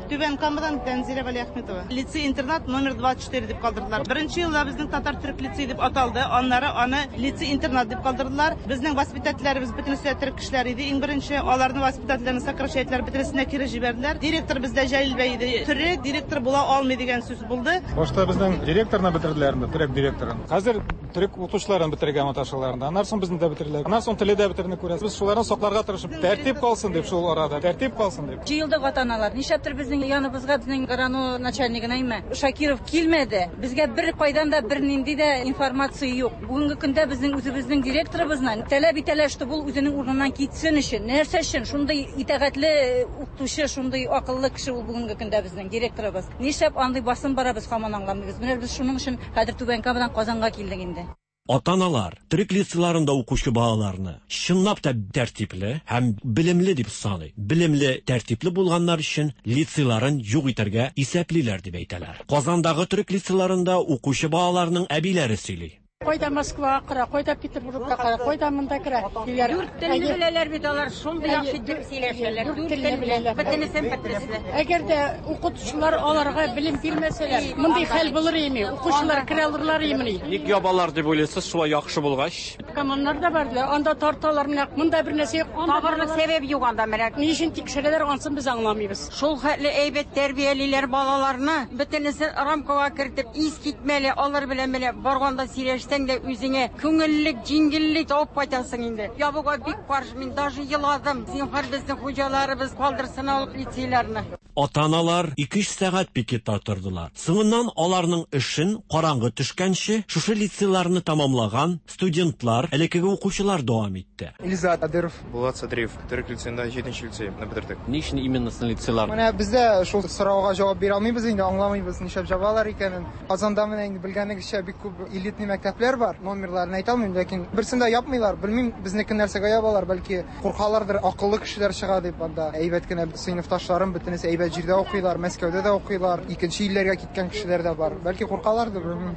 Түбән Камадан Тәнзилә Вәлиәхметова. Лицей-интернат номер 24 дип калдырдылар. Беренче елда безнең татар төрек лицей дип аталды. Аннары аны лицей-интернат дип калдырдылар. Безнең воспитательләребез бөтенесе төрек кешеләр иде. Иң беренче аларны воспитательләрне сокращать бөтенесенә кире җибәрделәр. Директор бездә Җәлил бәй иде. Төрек директор була алмый дигән сүз булды. Башта безнең директорны бетерделәр инде, төрек директорын. Хәзер төрек укытучыларын бетерергә маташалар инде. Аннан соң безне дә бетерделәр. Аннан соң теле дә бетерне күрәсез. Без шуларны сакларга тырышып, тәртип калсын дип шул арада, тәртип калсын дип. Җыелдык ата-аналар. Нишләптер безнең яныбызга безнең районо начальнигына име Шакиров килмәде. Безгә бер кайдан да бер нинди дә информация юк. Бүгенге көндә безнең үзебезнең директорыбызны таләп итәләр, чтобы ул үзенең урыныннан китсен өчен. Нәрсә өчен? Шундый итагатьле укытучы, шундый акыллы кеше ул бүгенге көндә безнең директорыбыз. Нишләп андый басым бара без һаман аңламыйбыз. Менә без шуның өчен хәзер Түбән Камадан Казанга килдек инде. Ата-аналар төрек лицейларында укучы балаларны чынлап та тәртипле һәм белемле дип саный. Белемле, тәртипле булганнар өчен лицейларын юк итәргә исәплиләр дип әйтәләр. Казандагы төрек лицейларында укучы балаларның әбиләре сөйли. Кайда Москвага керә, кайда Петербургка керә, кайда монда керә. Дүрт телне беләләр бит алар, шундый яхшы итеп сөйләшәләр. Дүрт Дүрт телне телне беләләр. Бөтенесен бөтенесе. Әгәр дә укытучылар аларга белем бирмәсәләр, мондый хәл булыр име? Укучылар керә алырлар имени? Ник ябалар дип уйлыйсыз, шулай яхшы булгач? Наркоманнар да бар диләр. Анда тарталар менә. Монда бер нәрсә юк. Анда Табырлык сәбәп юк анда менә. Ни өчен тикшерәләр, ансын без аңламыйбыз. Шул хәтле әйбәт тәрбиялиләр балаларны. Бөтенесен рамкага кертеп, ис китмәле. Алар белән менә барганда сөйләшсәң дә үзеңә күңеллек, җиңеллек табып кайтасың инде. Ябуга бик каршы мин даже еладым. Зинһар безнең хуҗаларыбыз калдырсын алып лицейларны. Ата-аналар ике-өч сәгать пикетта тордылар. Соңыннан аларның эшен караңгы төшкәнче шушы лицейларны тәмамлаган студентлар, элеккеге укучылар дәвам итте. Илзат Адыров. Булат Садриев. Төрек лицеенда җиденче лицейны бетердек. Ни өчен именно лицейлар? Менә без дә шул сорауга җавап бирә алмыйбыз инде, аңламыйбыз, нишләп җабалар икәнен. Казанда менә инде белгәнегезчә бик күп элитный мәктәпләр бар. Номерларын әйтә алмыйм, ләкин берсен дә япмыйлар. Белмим, безнекен нәрсәгә ябалар, бәлки куркалардыр, акыллы кешеләр чыга дип анда. Әйбәт кенә сыйныфташларым бөтенесе әйбәт җирдә укыйлар, Мәскәүдә дә укыйлар, икенче илләргә киткән кешеләр дә бар. Бәлки куркалардыр, белмим.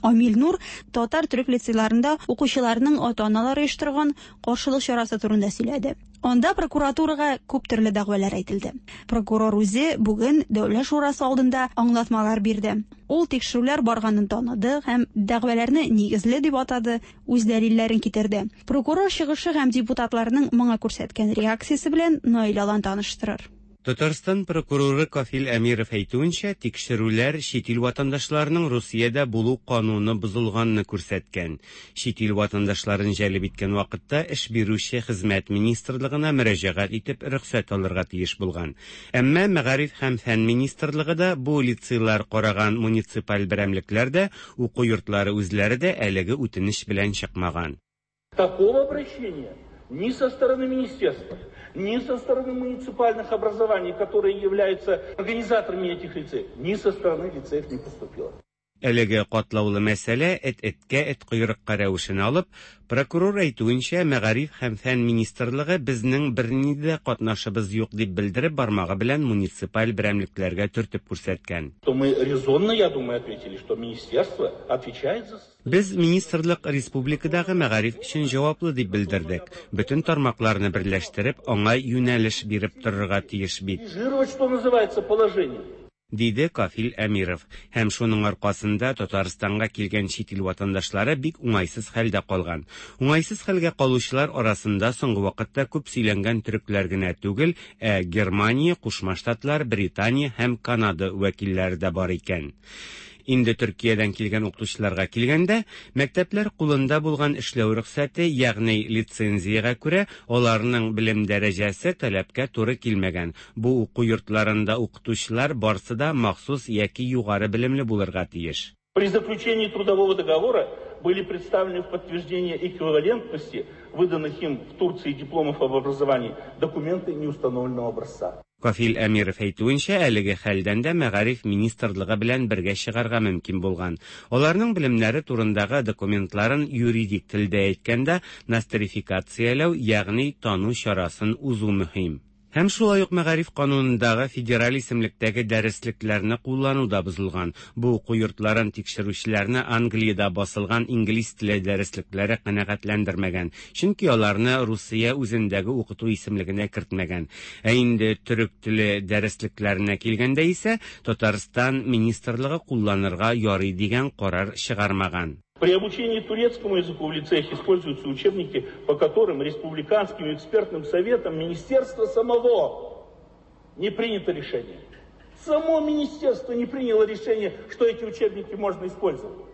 Амил Нур татар төрек лицейларында укучыларның ата-аналары оештырган каршылык чарасы турында сөйләде. Анда прокуратурага күп төрле дәгъвалар әйтелде. Прокурор үзе бүген Дәүләт шурасы алдында аңлатмалар бирде. Ул тикшерүләр барганын таныды һәм дәгъваларны нигезле дип атады, үз дәлилләрен китерде. Прокурор чыгышы һәм депутатларның моңа күрсәткән реакциясе белән Наил Алан таныштырыр. Татарстан прокуроры Кафил Әмиров әйтүенчә, тикшерүләр чит ил ватандашларының Русиядә булу кануны бозылганны күрсәткән. Чит ил ватандашларын җәлеп иткән вакытта эш бирүче Хезмәт министрлыгына мөрәҗәгать итеп рөхсәт алырга тиеш булган. Әмма Мәгариф һәм фән министрлыгы да, бу лицейлар караган муниципаль берәмлекләр дә, уку йортлары үзләре дә әлеге үтенеч белән чыкмаган. Такого обращения ни со стороны министерства, ни со стороны муниципальных образований, которые являются организаторами этих лицеев, ни со стороны лицеев не поступило. Әлеге катлаулы мәсьәлә эт эткә, эт койрыкка рәвешен алып, прокурор әйтүенчә, Мәгариф һәм фән министрлыгы безнең бернинди дә катнашыбыз юк дип белдереп бармагы белән муниципаль берәмлекләргә төртеп күрсәткән. То мы резонно, я думаю, ответили, что министерство отвечает за Без министрлык республикадагы мәгариф өчен җаваплы дип белдердек. Бөтен тармакларны берләштереп, аңа юнәлеш биреп торырга тиеш бит. Что называется, положение. Диде Кафил Әмиров. Һәм шуның аркасында Татарстанга килгән чит ил ватандашлары бик уңайсыз хәлдә калган. Уңайсыз хәлгә калучылар арасында соңгы вакытта күп сөйләнгән төрекләр генә түгел, ә Германия, Кушма Штатлар, Британия һәм Канада вәкилләре дә бар икән. Инде Төркиядән килгән укытучыларга килгәндә, мәктәпләр кулында булган эшләү рөхсәте, ягъни лицензиягә күрә, аларның белем дәрәҗәсе таләпкә туры килмәгән. Бу уку йортларында укытучылар барсы да махсус яки югары белемле булырга тиеш. При заключении трудового договора были представлены в подтверждение эквивалентности выданных им в Турции дипломов об образовании документы неустановленного образца. Кафил Әмиров әйтүенчә, әлеге хәлдән дә мәгариф министрлыгы белән бергә чыгарга мөмкин булган. Аларның белемнәре турындагы документларын юридик телдә әйткәндә, нострификацияләү, ягъни тану чарасын узу мөһим. Һәм шулай ук мәгариф канунындагы федераль исемлектәге дәреслекләрне куллану да бозылган. Бу уку йортларын тикшерүчеләрне Англиядә басылган инглиз теле дәреслекләре канәгатьләндермәгән, чөнки аларны Русия үзендәге укыту исемлегенә кертмәгән. Ә инде төрек теле дәреслекләренә килгәндә исә, Татарстан министрлыгы кулланырга ярый дигән карар чыгармаган. При обучении турецкому языку в лицеях используются учебники, по которым республиканским экспертным советом министерства самого не принято решение. Само министерство не приняло решение, что эти учебники можно использовать.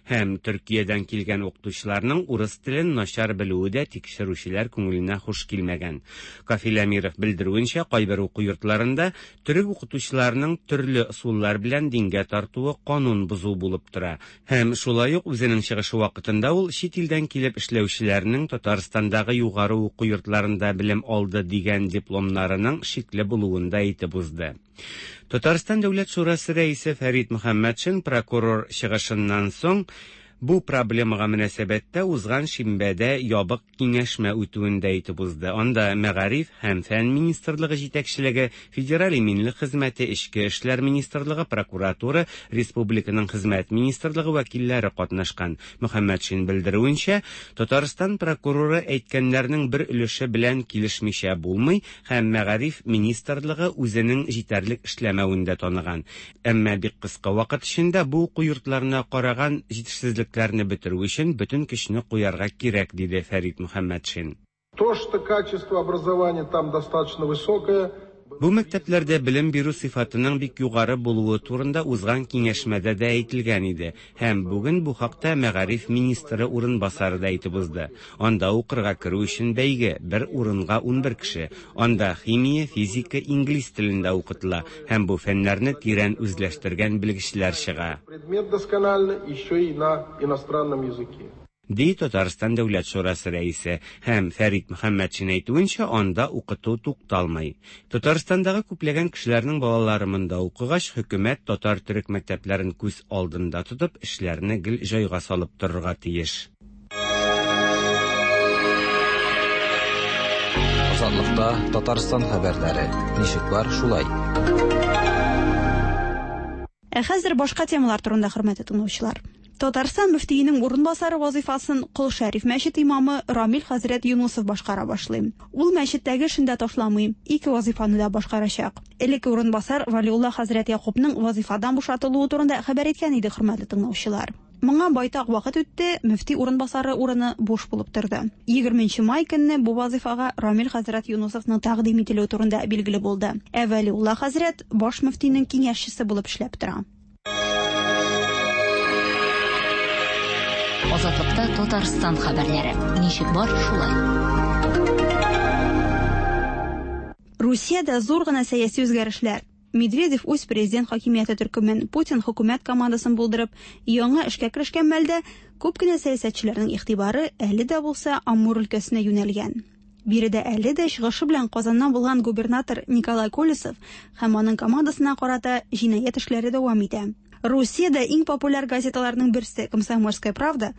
Һәм Төркиядән килгән укытучыларның урыс телен начар белүе дә тикшерүчеләр күңеленә хуш килмәгән. Кафил Әмиров белдерүенчә, кайбер уку йортларында төрек укытучыларының төрле ысуллар белән дингә тартуы канун бозу булып тора. Һәм шулай ук үзенең чыгышы вакытында ул чит илдән килеп эшләүчеләрнең Татарстандагы югары уку йортларында белем алды дигән дипломнарының шикле булуын да әйтеп узды. Татарстан Дәүләт шурасы рәисе Фәрит Мөхәммәтшин прокурор чыгышыннан соң Бу проблемага мөнәсәбәттә узган шимбәдә ябык киңәшмә үтүен дә әйтеп узды. Анда Мәгариф һәм фән министрлыгы җитәкчелеге, Федераль иминлек хезмәте, Эчке эшләр министрлыгы, прокуратура, республиканың Хезмәт министрлыгы вәкилләре катнашкан. Мөхәммәтшин белдерүенчә, Татарстан прокуроры әйткәннәрнең бер өлеше белән килешмичә булмый һәм Мәгариф министрлыгы үзенең җитәрлек эшләмәвен дә таныган. Әмма бик кыска вакыт эчендә бу уку йортларына караган җитешсезлекләрне бетерү өчен бөтен көчне куярга кирәк, диде Фәрит Мөхәммәтшин. То, что качество образования там достаточно высокое, Бу мәктәпләрдә белем бирү сыйфатының бик югары булуы турында узган киңәшмәдә дә әйтелгән иде һәм бүген бу хакта мәгариф министры урынбасары да әйтеп узды. Анда укырга керү өчен бәйге, бер урынга 11 кеше. Анда химия, физика, инглиз телендә укытыла һәм бу фәннәрне тирән үзләштергән белгечләр чыга. Предмет досконально еще и на иностранном языке. Ди Татарстан Дәүләт шурасы рәисе һәм Фәрит Мөхәммәтшин әйтүенчә, анда укыту тукталмый. Татарстандагы күпләгән кешеләрнең балалары монда укыгач, хөкүмәт татар-төрек мәктәпләрен күз алдында тотып, эшләрне гел җайга салып торырга тиеш. Азатлыкта Татарстан хәбәрләре. Ничек бар, шулай. Ә хәзер башка темалар турында, хөрмәтле тыңлаучылар. Татарстан мөфтиенең урынбасары вазыйфасын Кол Шәриф мәчет имамы Рамил хәзрәт Юнусов башкара башлый. Ул мәчеттәге эшен дә ташламый, ике вазыйфаны да башкарачак. Элекке урынбасар Валиулла хәзрәт Якупның вазыйфадан бушатылуы турында хәбәр иткән идек, хөрмәтле тыңлаучылар. Моңа байтак вакыт үтте, мөфти урынбасары урыны буш булып торды. 20 май көнне бу вазыйфага Рамил хәзрәт Юнусовның тәкъдим ителүе турында билгеле булды. Ә Вәлиулла хәзрәт баш мөфтинең киңәшчесе булып эшләп тора. Азатлыкта Татарстан хәбәрләре. Ничек бар, шулай. Русиядә зур гына сәяси үзгәрешләр. Медведев үз президент хакимияте төркемен, Путин хөкүмәт командасын булдырып, яңа эшкә керешкән мәлдә күп кенә сәясәтчеләрнең игътибары әле дә булса Амур өлкәсенә юнәлгән. Биредә әле дә чыгышы белән Казаннан булган губернатор Николай Колесов һәм аның командасына карата җинаять эшләре дәвам итә. Русиядә иң популяр газеталарның берсе «Комсомольская правда»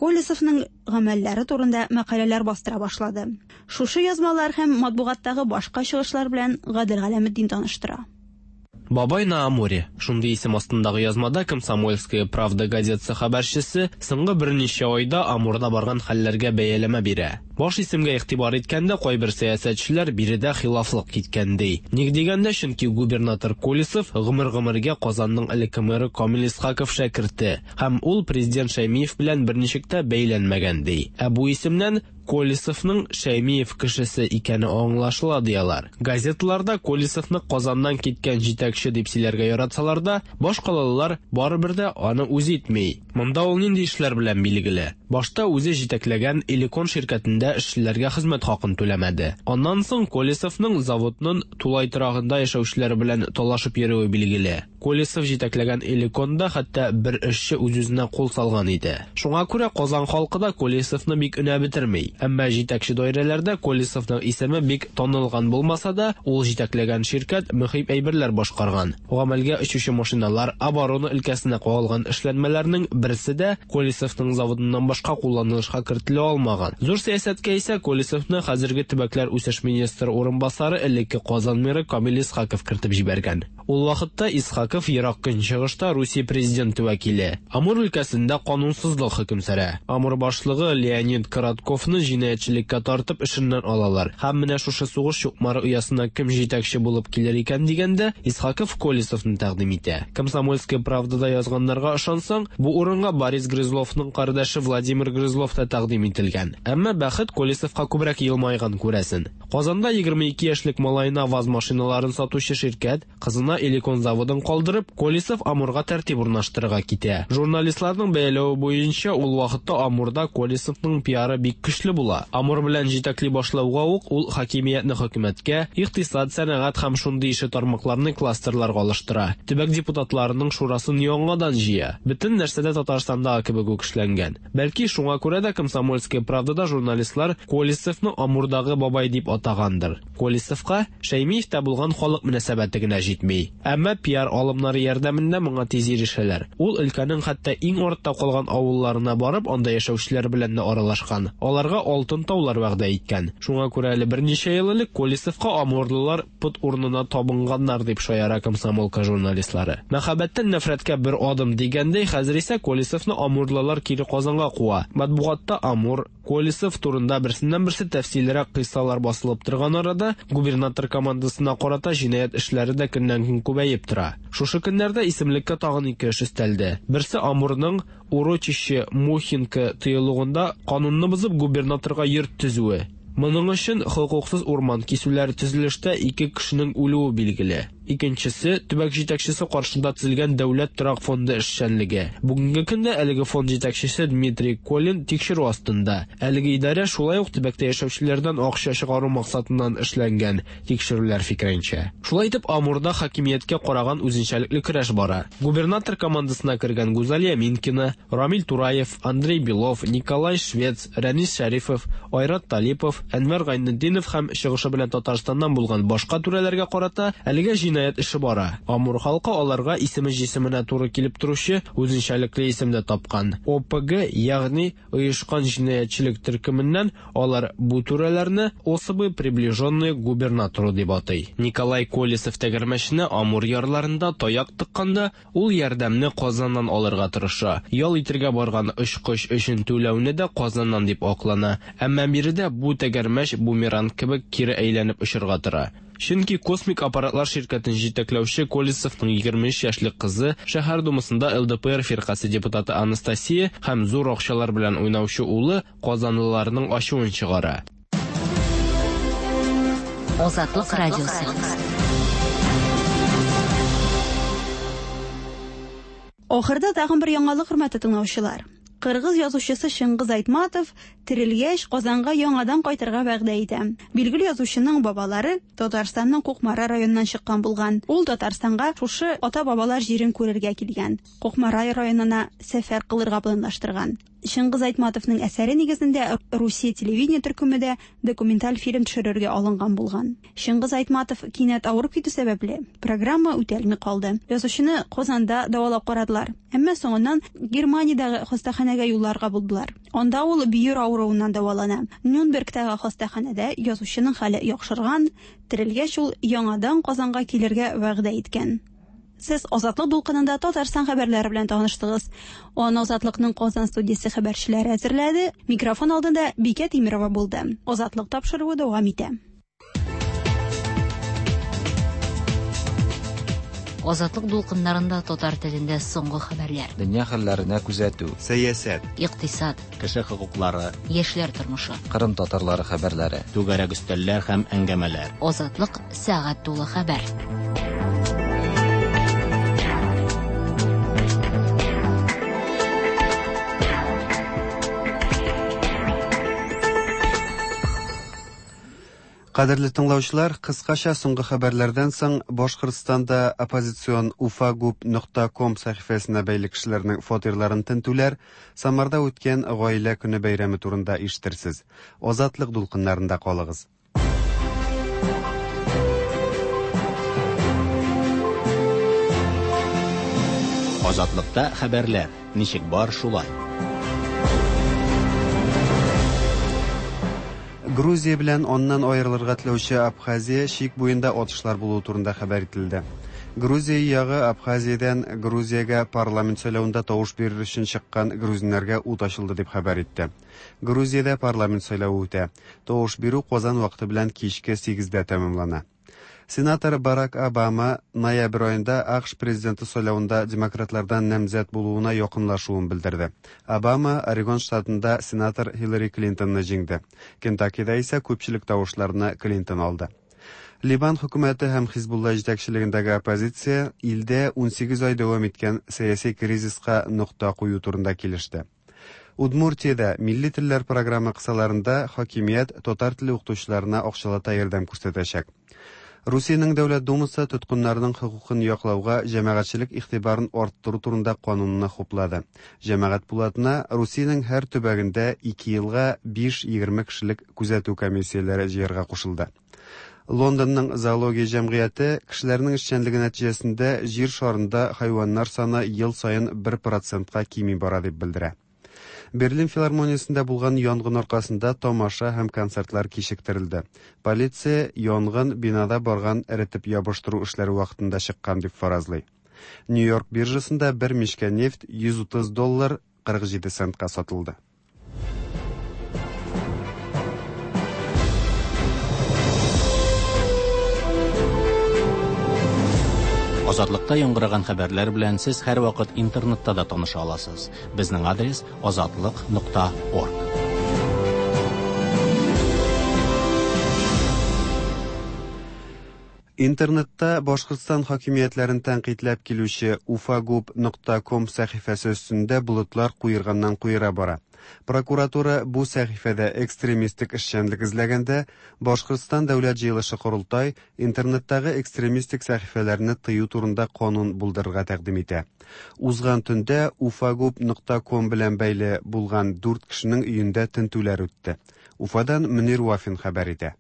Колесовның гамәлләре турында мәкаләләр бастыра башлады. Шушы язмалар һәм матбугаттагы башка чыгышлар белән Гадел Галәметдин таныштыра. Бабай на Амуре. Шундый исем астындагы язмада «Комсомольская правда» газетасы хәбәрчесе соңгы берничә айда Амурда барган хәлләргә бәяләмә бирә. Баш исемгә игътибар иткәндә, кайбер сәясәтчеләр биредә хилафлык киткән ди. Ник дигәндә, чөнки губернатор Колесов гомер-гомергә Казанның элекке мэры Камил Исхаков шәкерте һәм ул президент Шәймиев белән берничек тә бәйләнмәгән ди. Ә бу исемнән Колесовның Шәймиев кешесе икәне аңлашыла ди алар. Газеталарда Колесовны Казаннан киткән җитәкче дип сөйләргә яратсалар да, башкалалылар барыбер дә аны үз итми. Монда ул нинди эшләр белән билгеле? Башта үзе җитәкләгән Элекон ширкәтендә эшчеләргә хезмәт хакын түләмәде. Аннан соң Колесовның заводның тулай торагында яшәүчеләр белән талашып йөрүе билгеле. Колесов җитәкләгән Элеконда хәтта бер эшче үз-үзенә кул салган иде. Шуңа күрә Казан халкы да Колесовны бик өнәп бетерми. Әмма җитәкче даирәләрдә Колесовның исеме бик танылган булмаса да, ул җитәкләгән ширкәт мөһим әйберләр башкарган. Гамәлгә очучы машиналар, оборона өлкәсенә кагылган эшләнмәләрнең берсе дә Колесовның заводыннан башка кулланылышка кертелә алмаган. Зур сәясәткә исә Колесовны хәзерге төбәкләр үсеш министры урынбасары, элекке Казан мэры Камил Исхаков кертеп җибәргән. Ул вакытта Исхаков Ерак Көнчыгышта Русия президенты вәкиле. Амур өлкәсендә канунсызлык хөкем сөрә. Амур башлыгы Леонид Коротковны җинаятьчелеккә тартып эшеннән алалар. Һәм менә шушы сугыш чукмары оясына кем җитәкче булып килер икән дигәндә, Исхаков Колесовны тәкъдим итә. Комсомольская правдада язганнарга ышансаң, бу урынга Борис Грызловның кардәше Владимир Грызлов та тәкъдим ителгән. Әмма бәхет Колесовка күбрәк елмайган, күрәсен. Казанда 22 яшьлек малаена ВАЗ машиналарын сатучы ширкәт, кызына Элекон заводын калдырып, Колесов Амурга тәртип урнаштырырга китә. Журналистларның бәяләве буенча, ул вакытта Амурда Колесовның пиары бик көчле була. Амур белән җитәкли башлауга ук ул хакимиятне хөкүмәткә, икътисад, сәнәгать һәм шундый ише тармакларны кластерларга алыштыра. Төбәк депутатларының шурасын яңадан җыя. Бөтен нәрсә дә Татарстандагы кебек үк эшләнгән. Бәлки шуңа күрә дә «Комсомольская правда»да журналистлар Колесовны Амурдагы бабай дип атагандыр. Колесовка Шәймиевтә булган халык мөнәсәбәте генә җитми. Әмма пиар алымы алымнары ярдәмендә моңа тиз ирешәләр. Ул өлкәнең хәтта иң артта калган авылларына барып, анда яшәүчеләр белән дә аралашкан. Аларга алтын таулар вәгъдә иткән. Шуңа күрә әле берничә ел элек Колесовка амурлылар пот урынына табынганнар, дип шаяра Комсомолка журналистлары. Мәхәббәттән нәфрәткә бер адым дигәндәй, хәзер исә Колесовны амурлылар кире Казанга куа. Матбугатта Амур, Колесов турында берсеннән-берсе тәфсиллерәк кыйссалар басылып торган арада, губернатор командасына карата җинаять эшләре дә көннән-көн күбәеп тора. Шушы көннәрдә исемлеккә тагын ике эш өстәлде. Берсе Амурның Урочище Мухинка тыюлыгында канунны бозып губернаторга йорт төзүе. Моның өчен хокуксыз урман кисүләр, төзелештә ике кешенең үлүе билгеле. Икенчесе, төбәк җитәкчесе каршында төзелгән Дәүләт торак фонды эшчәнлеге. Бүгенге көндә әлеге фонд җитәкчесе Дмитрий Колин тикшерү астында. Әлеге идарә шулай ук төбәктә яшәүчеләрдән акча чыгару максатыннан эшләнгән, тикшерүләр фикеренчә. Шулай итеп, Амурда хакимияткә караган үзенчәлекле көрәш бара. Губернатор командасына кергән Гүзалия Минкина, Рамил Тураев, Андрей Белов, Николай Швец, Рәнис Шәрифов, Айрат Талипов, Әнвәр Гайнетдинов һәм чыгышы белән Татарстаннан булган башка түрәләргә карата әлегә җинаять эше бара. Амур халкы аларга исеме җисеменә туры килеп торучы үзенчәлекле исем дә тапкан. ОПГ, ягъни оешкан җинаятьчелек төркеменнән алар бу түрәләрне особы приближенные к губернатору дип атый. Николай Колесов тәгәрмәченә Амур ярларында таяк тыкканда, Ул ярдәмне Казаннан алырга тырыша. Ял итергә барган очкыч өчен түләүне дә Казаннан дип аклана. Әмма биредә бу тәгәрмәч бумеранг кебек кире әйләнеп очарга тора. Чөнки Космик аппаратлар ширкәтен җитәкләүче Колесовның 23 яшьлек кызы, шәһәр думасында ЛДПР фиркасе депутаты Анастасия һәм зур акчалар белән уйнаучы улы казанлыларның ачуын чыгара. Азатлык радиосы. Ахырда тагын бер яңалык, хөрмәтле тыңлаучылар. Кыргыз язучысы Чыңгыз Айтматов терелгәч Казанга яңадан кайтырга вәгъдә итә. Билгеле язучының бабалары Татарстанның Кукмара районыннан чыккан булган. Ул Татарстанга шушы ата-бабалар җирен күрергә килгән. Кукмара районына сәфәр кылырга планлаштырган. Чыңгыз Айтматовның әсәре нигезендә Русия телевидение төркеме дә документаль фильм төшерергә алынган булган. Чыңгыз Айтматов кинәт авырып китү сәбәпле, программа үтәлми калды. Язучыны Казанда дәвалап карадылар. Әмма соңыннан Германиядәге хастаханәгә юлларга булдылар. Анда ул бөер авыруыннан дәвалана. Нюнбергтагы хастаханәдә язучының хәле яхшырган, терелгәч ул яңадан Казанга килергә вәгъдә иткән. Сез Азатлык дулкынында Татарстан хәбәрләре белән таныштыгыз. Аны Азатлыкның Казан студиясе хәбәрчеләре әзерләде. Микрофон алдында Бикә Тимирова булды. Азатлык тапшыруы дәвам итә. Азатлык дулкыннарында татар телендә соңгы хәбәрләр. Дөнья хәлләренә күзәтү. Сәясәт. Икътисад. Кеше хокуклары. Яшьләр тормышы. Кырым татарлары хәбәрләре. Түгәрәк өстәлләр һәм әңгәмәләр. Азатлык сәгать тулы хәбәр. Кадерле тыңлаучылар, кыскача соңгы хәбәрләрдән соң Башкортстанда оппозицион ufagub.com сәхифәсенә бәйле кешеләрнең фатирларын тентүләр, Самарда үткән Гаилә көне бәйрәме турында ишетерсез. Азатлык дулкыннарында калыгыз. Азатлыкта хәбәрләр ничек бар шулай. Грузия белән аннан аерылырга теләүче Абхазия чик буенда атышлар булуы турында хәбәр ителде. Грузия ягы Абхазиядән Грузиягә парламент сайлавында тавыш бирер өчен чыккан грузиннарга ут ачылды дип хәбәр итте. Грузиядә парламент сайлавы үтә. Тавыш бирү Казан вакыты белән кичке 8-дә тәмамлана. Сенатор Барак Обама ноябрь аенда АКШ президенты сайлавында демократлардан намзәт булуына якынлашуын белдерде. Обама Орегон штатында сенатор Хиллари Клинтонны җиңде. Кентаккида исә күпчелек тавышларны Клинтон алды. Либан хөкүмәте һәм Хизбулла җитәкчелегендәге оппозиция илдә 18 ай дәвам иткән сәяси кризиска нокта кую турында килеште. Удмуртиядә милли телләр програмы кысаларында хакимият татар теле укытучыларына акчалата ярдәм күрсәтәчәк. Русиянең Дәүләт Думасы тоткыннарның хокукын яклауга җәмәгатьчелек игътибарын арттыру турында канунны хуплады. Җәмәгать пулатына Русиянең һәр төбәгендә 2 елга 5-20 кешелек күзәтү комиссияләре җыярга кушылды. Лондонның зоология җәмгыяте кешеләрнең эшчәнлеге нәтиҗәсендә җир шарында хайваннар саны ел саен 1 процентка кими бара дип белдерә. Берлин филармониясендә булган янгын аркасында тамаша һәм концертлар кичектерелде. Полиция янгын бинада барган эретеп ябыштыру эшләре вакытында чыккан дип фаразлый. Нью-Йорк биржасында бер мичкә нефть 130 доллар 47 центка сатылды. Азатлыкта яңгыраган хәбәрләр белән сез һәрвакыт интернетта да таныша аласыз. Безнең адрес азатлык.орг. Интернетта Башкортстан хакимиятләрен тәнкыйтьләп килүче ufagub.com сәхифәсе өстендә болытлар куерганнан куера бара. Прокуратура бу сәхифәдә экстремистик эшчәнлек эзләгәндә, Башкортстан Дәүләт җыелышы-Корылтай интернеттагы экстремистик сәхифәләрне тыю турында канун булдырырга тәкъдим итә. Узган төндә ufagub.com белән бәйле булган дүрт кешенең өендә тентүләр үтте. Уфадан Мөнир Вафин хәбәр итә.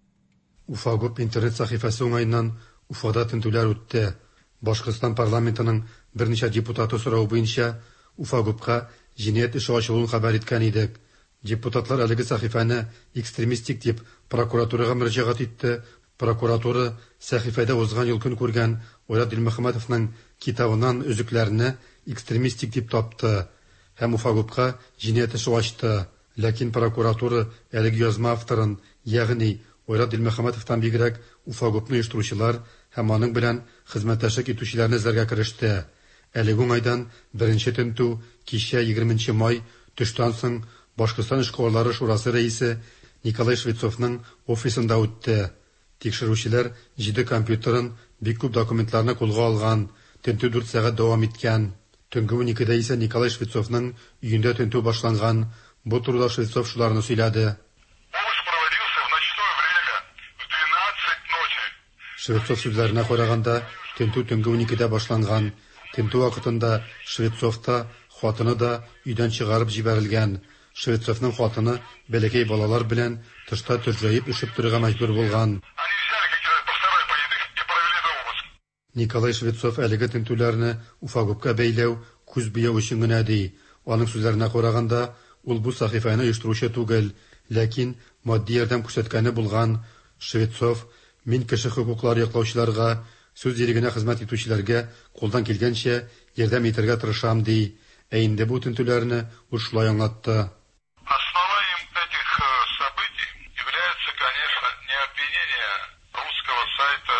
Уфагуб интернет сәхифәсе уңаеннан Уфада тентүләр үтте. Башкортстан парламентының берничә депутаты соравы буенча Уфагубка җинаять эше ачылуын хәбәр иткән идек. Депутатлар әлеге сәхифәне экстремистик дип прокуратурага мөрәҗәгать итте. Прокуратура сәхифәдә узган ел көн күргән Айрат Дилмөхәммәтовның китабыннан өзекләрне экстремистик дип тапты һәм Уфагубка җинаять эше ачты. Ләкин прокуратура әлеге язма авторын, ягъни Айрат Дилмөхәммәтовтан бигрәк Уфагубны оештыручылар һәм аның белән хезмәттәшлек итүчеләрне эзләргә кереште. Әлеге уңайдан беренче тентү кичә 20 нче май төштән соң Башкортстан эшкуарлары шурасы рәисе Николай Швецовның офисында үтте. Тикшерүчеләр җиде компьютерын, бик күп документларны кулга алган. Тентү дүрт сәгать дәвам иткән. Төнге уникедә исә Николай Швецовның өендә тентү башланган. Бу турыда Швецов шуларны сөйләде. Швецов сүзләренә караганда, тентү төнге уникедә башланган. Тентү вакытында Швецов та, хатыны да өйдән чыгарып җибәрелгән. Швецовның хатыны бәләкәй балалар белән тышта төрҗәеп өшеп торырга мәҗбүр булган. Николай Швецов әлеге тентүләрне Уфагубка бәйләү күз буяу өчен генә ди. Аның сүзләренә караганда, ул бу сәхифәне оештыручы түгел, ләкин матди ярдәм күрсәткәне булган. Швецов, Мин кеше хокуклары яклаучыларга, сүз ирегенә хезмәт итүчеләргә кулдан килгәнчә ярдәм итәргә тырышам, ди. Ә инде бу тентүләрне ул шулай аңлатты. Основанием этих событий является, конечно, не обвинение русского сайта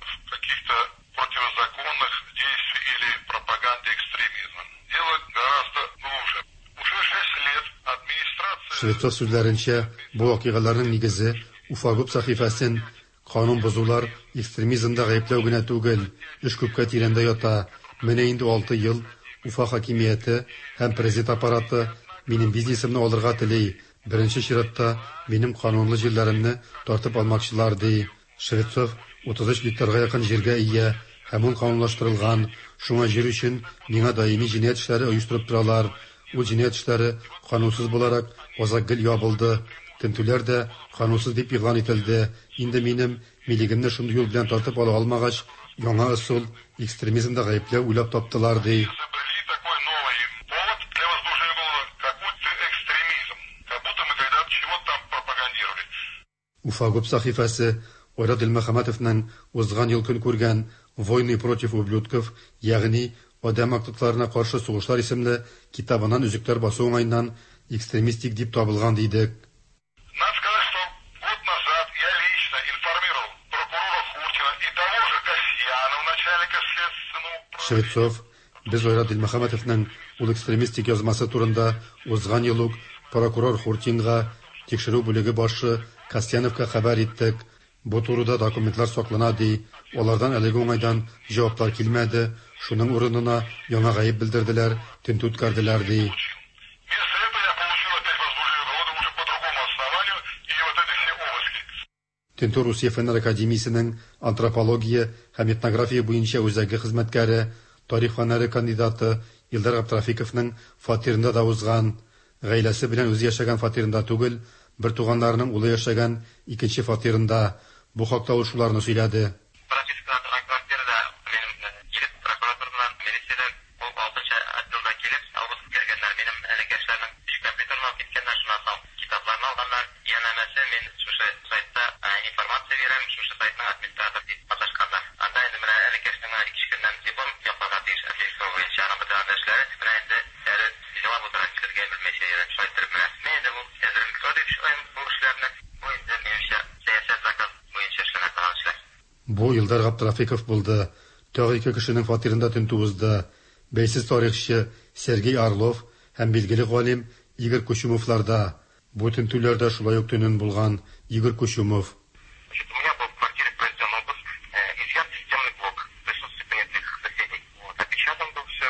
в каких-то противозаконных действий или пропаганде экстремизма. Дело гораздо глубже. Уже шесть лет администрация... Швецов сүзләренчә, бу вакыйгаларның нигезе Уфагуб сәхифәсен канун бозулар, экстремизмда гаепләү генә түгел, эш күпкә тирәндә ята. Менә инде алты ел Уфа хакимияте һәм президент аппараты минем бизнесымны алырга тели. Беренче чиратта минем канунлы җирләремне тартып алмакчылар, ди. Швецов 33 гектарга якын җиргә ия һәм ул канунлаштырылган. Шуңа җир өчен миңа даими җинаять эшләре оештырып торалар. Ул җинаять эшләре канунсыз буларак азак гел ябылды. Тентүләр дә канунсыз дип игълан ителде. Инде минем милегемне шундый юл белән тартып ала алмагач, яңа ысул, экстремизмда гаепләү уйлап таптылар, ди. Уфагуб сәхифәсе Айрат Дилмөхәммәтовның узган ел көн күргән Войны против ублюдков, ягъни Адәм актыкларына каршы сугышлар исемле китабыннан өзекләр басу уңаеннан экстремистик дип табылган дидек. Надо сказать, что год назад я лично информировал прокурора Хуртина и того же Касьянова, начальника следственного Швецов, Без Айрат Дилмөхәммәтовның ул экстремистик язмасы турында узган ел ук прокурор Хуртинга, тикшерү бүлеге башы Касьяновка хәбәр иттек. Бу турыда документлар саклана, ди. Алардан әлеге уңайдан җаваплар килмәде, шуның урынына яңа гаеп белдерделәр, тентү үткәрделәр, ди. Вместо этого я получил опять возбуждение уголовного уже по другому основанию и вот эти все обыски. Тентү Русия Фәннәр академиясенең антропология һәм этнография буенча үзәге хезмәткәре, тарих фәннәре кандидаты Илдар Габдрафиковның фатирында да узган. Гаиләсе белән үзе яшәгән фатирында түгел, бертуганнарының улы яшәгән икенче фатирында. Бу хакта ул шуларны сөйләде. Пропискада торган квартирада минем килеп, прокуратура белән милициядән ул алтынчы отделда килеп, обыск үткәргәннәр. Минем энекәшләрнең өч компьютерын алып киткәннәр, шуннан соң китапларны алганнар. Янәмәсе, мин шушы сайтта информация бирәм, шушы сайтның администраторы дип маташканнар. Анда инде менә энекәшнең менә ике-өч көннән диплом якларга тиеш архивистика буенча, аның бөтен анда эшләре. Менә инде әле елап утыра, нишләргә белмәйчә йөрим. Шулай иттереп менә. Мин инде бу әзерлекле дип уйлыйм бу эшләрне. Бу инде, минемчә, сәясәт заказ буенча эшләнә торган эшләр. Бу Илдар Габдрафиков булды. Тагы ике кешенең фатирында тентү узды. Бәйсез тарихчы Сергей Орлов һәм билгеле галим Игорь Кучумовлар да. Бу тентүләр дә шулай ук төнен булган. Игорь Кучумов. Значит, у меня был в квартире произведен обыск, изъят системный блок в присутствии понятых соседей. Вот, опечатан был все.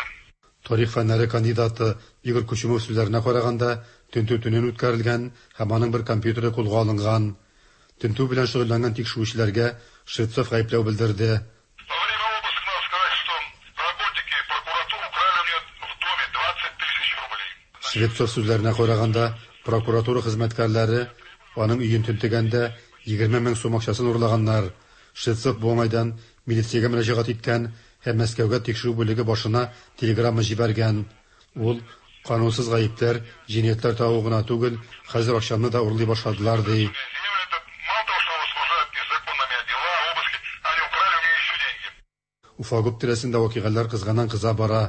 Тарих фәннәре кандидаты Игорь Кучумов сүзләренә караганда, тентү төнен үткәрелгән һәм аның бер компьютеры кулга алынган. Тентү белән шөгыльләнгән тикшерүчеләргә Швецов гаепләү белдерде. Во время обыска надо сказать, что работники прокуратуры украли у меня в доме 20 тысяч рублей. Швецов сүзләренә караганда, прокуратура хезмәткәрләре аның өен тентегәндә 20 мең сум акчасын урлаганнар. Швецов бу уңайдан милициягә мөрәҗәгать иткән һәм Мәскәүгә тикшерү бүлеге башына телеграмма җибәргән. Ул канунсыз гаепләр, җинаятьләр тагу гына түгел, хәзер акчамны да урлый башладылар, ди. Мало того, что возбуждают незаконно меня дела, обыски, они украли у меня еще деньги. Уфагуб тирәсендә вакыйгалар кызганнан-кыза бара.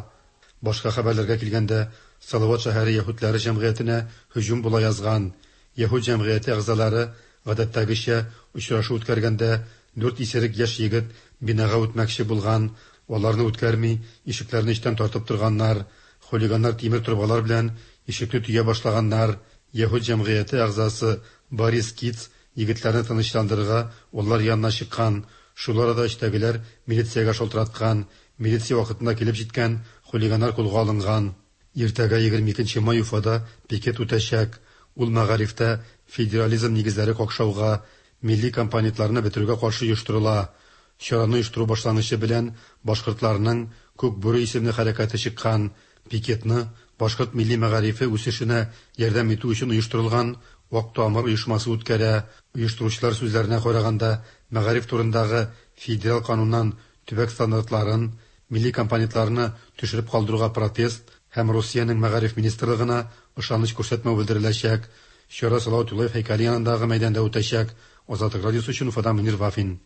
Башка хәбәрләргә килгәндә, Салават шәһәре яһүдләре җәмгыятенә һөҗүм була язган. Яһүд җәмгыяте әгъзалары, гадәттәгечә, очрашу үткәргәндә, дүрт исерек яшь егет бинага үтмәкче булган. Аларны үткәрми, ишекләрне эчтән тартып торганнар. Хулиганнар тимер торбалар белән ишекне төя башлаганнар. Яһүд җәмгыяте әгъзасы Борис Киц егетләрне тынычландырырга алар янына чыккан. Шул арада эчтәгеләр милициягә шалтыраткан. Милиция вакытында килеп җиткән, хулиганнар кулга алынган. Иртәгә 22 нче май Уфада пикет үтәчәк. Ул мәгарифтә федерализм нигезләре какшауга, милли компонентларны бетерүгә каршы оештырыла. Чараны оештыру башлангычы белән башкортларның Күк бүре исемле хәрәкәте чыккан. Пикетны башкорт милли мәгарифе үсешенә ярдәм итү өчен оештырылган Ак тамыр оешмасы үткәрә. Оештыручылар сүзләренә караганда, мәгариф турындагы федераль кануннан төбәк стандартларын, милли компонентларны төшереп калдыруга протест һәм Русиянең мәгариф министрлыгына ышаныч күрсәтмәү белдереләчәк. Чара Салават Юлаев һәйкәле янындагы мәйданда үтәчәк. Азатлык радиосы өчен Уфадан Мөнир Вафин.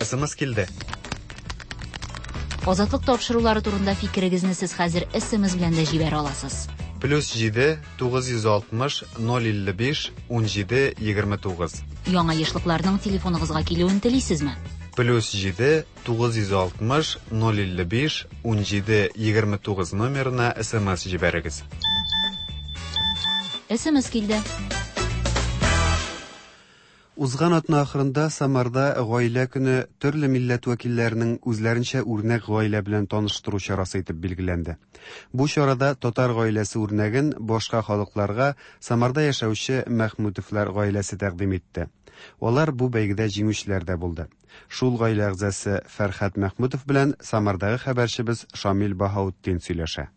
СМС килде. Азатлык тапшырулары турында фикерегезне сез хәзер SMS белән дә җибәрә аласыз. Плюс 7 960 055 17 29. Яңа ешлыкларның телефоныгызга килүен телисезме? Плюс 7 960 055 17 29 номерына СМС җибәрегез. SMS килде. Узган атна ахырында Самарда Гаилә көне төрле милләт вәкилләренең үзләренчә үрнәк гаилә белән таныштыру чарасы итеп билгеләнде. Бу чарада татар гаиләсе үрнәген башка халыкларга Самарда яшәүче Мәхмүтовлар гаиләсе тәкъдим итте. Алар бу бәйгедә җиңүчеләр дә булды. Шул гаилә әгъзасы Фәрхәт Мәхмүтов белән Самардагы хәбәрчебез Шамил Баһаутдин сөйләшә.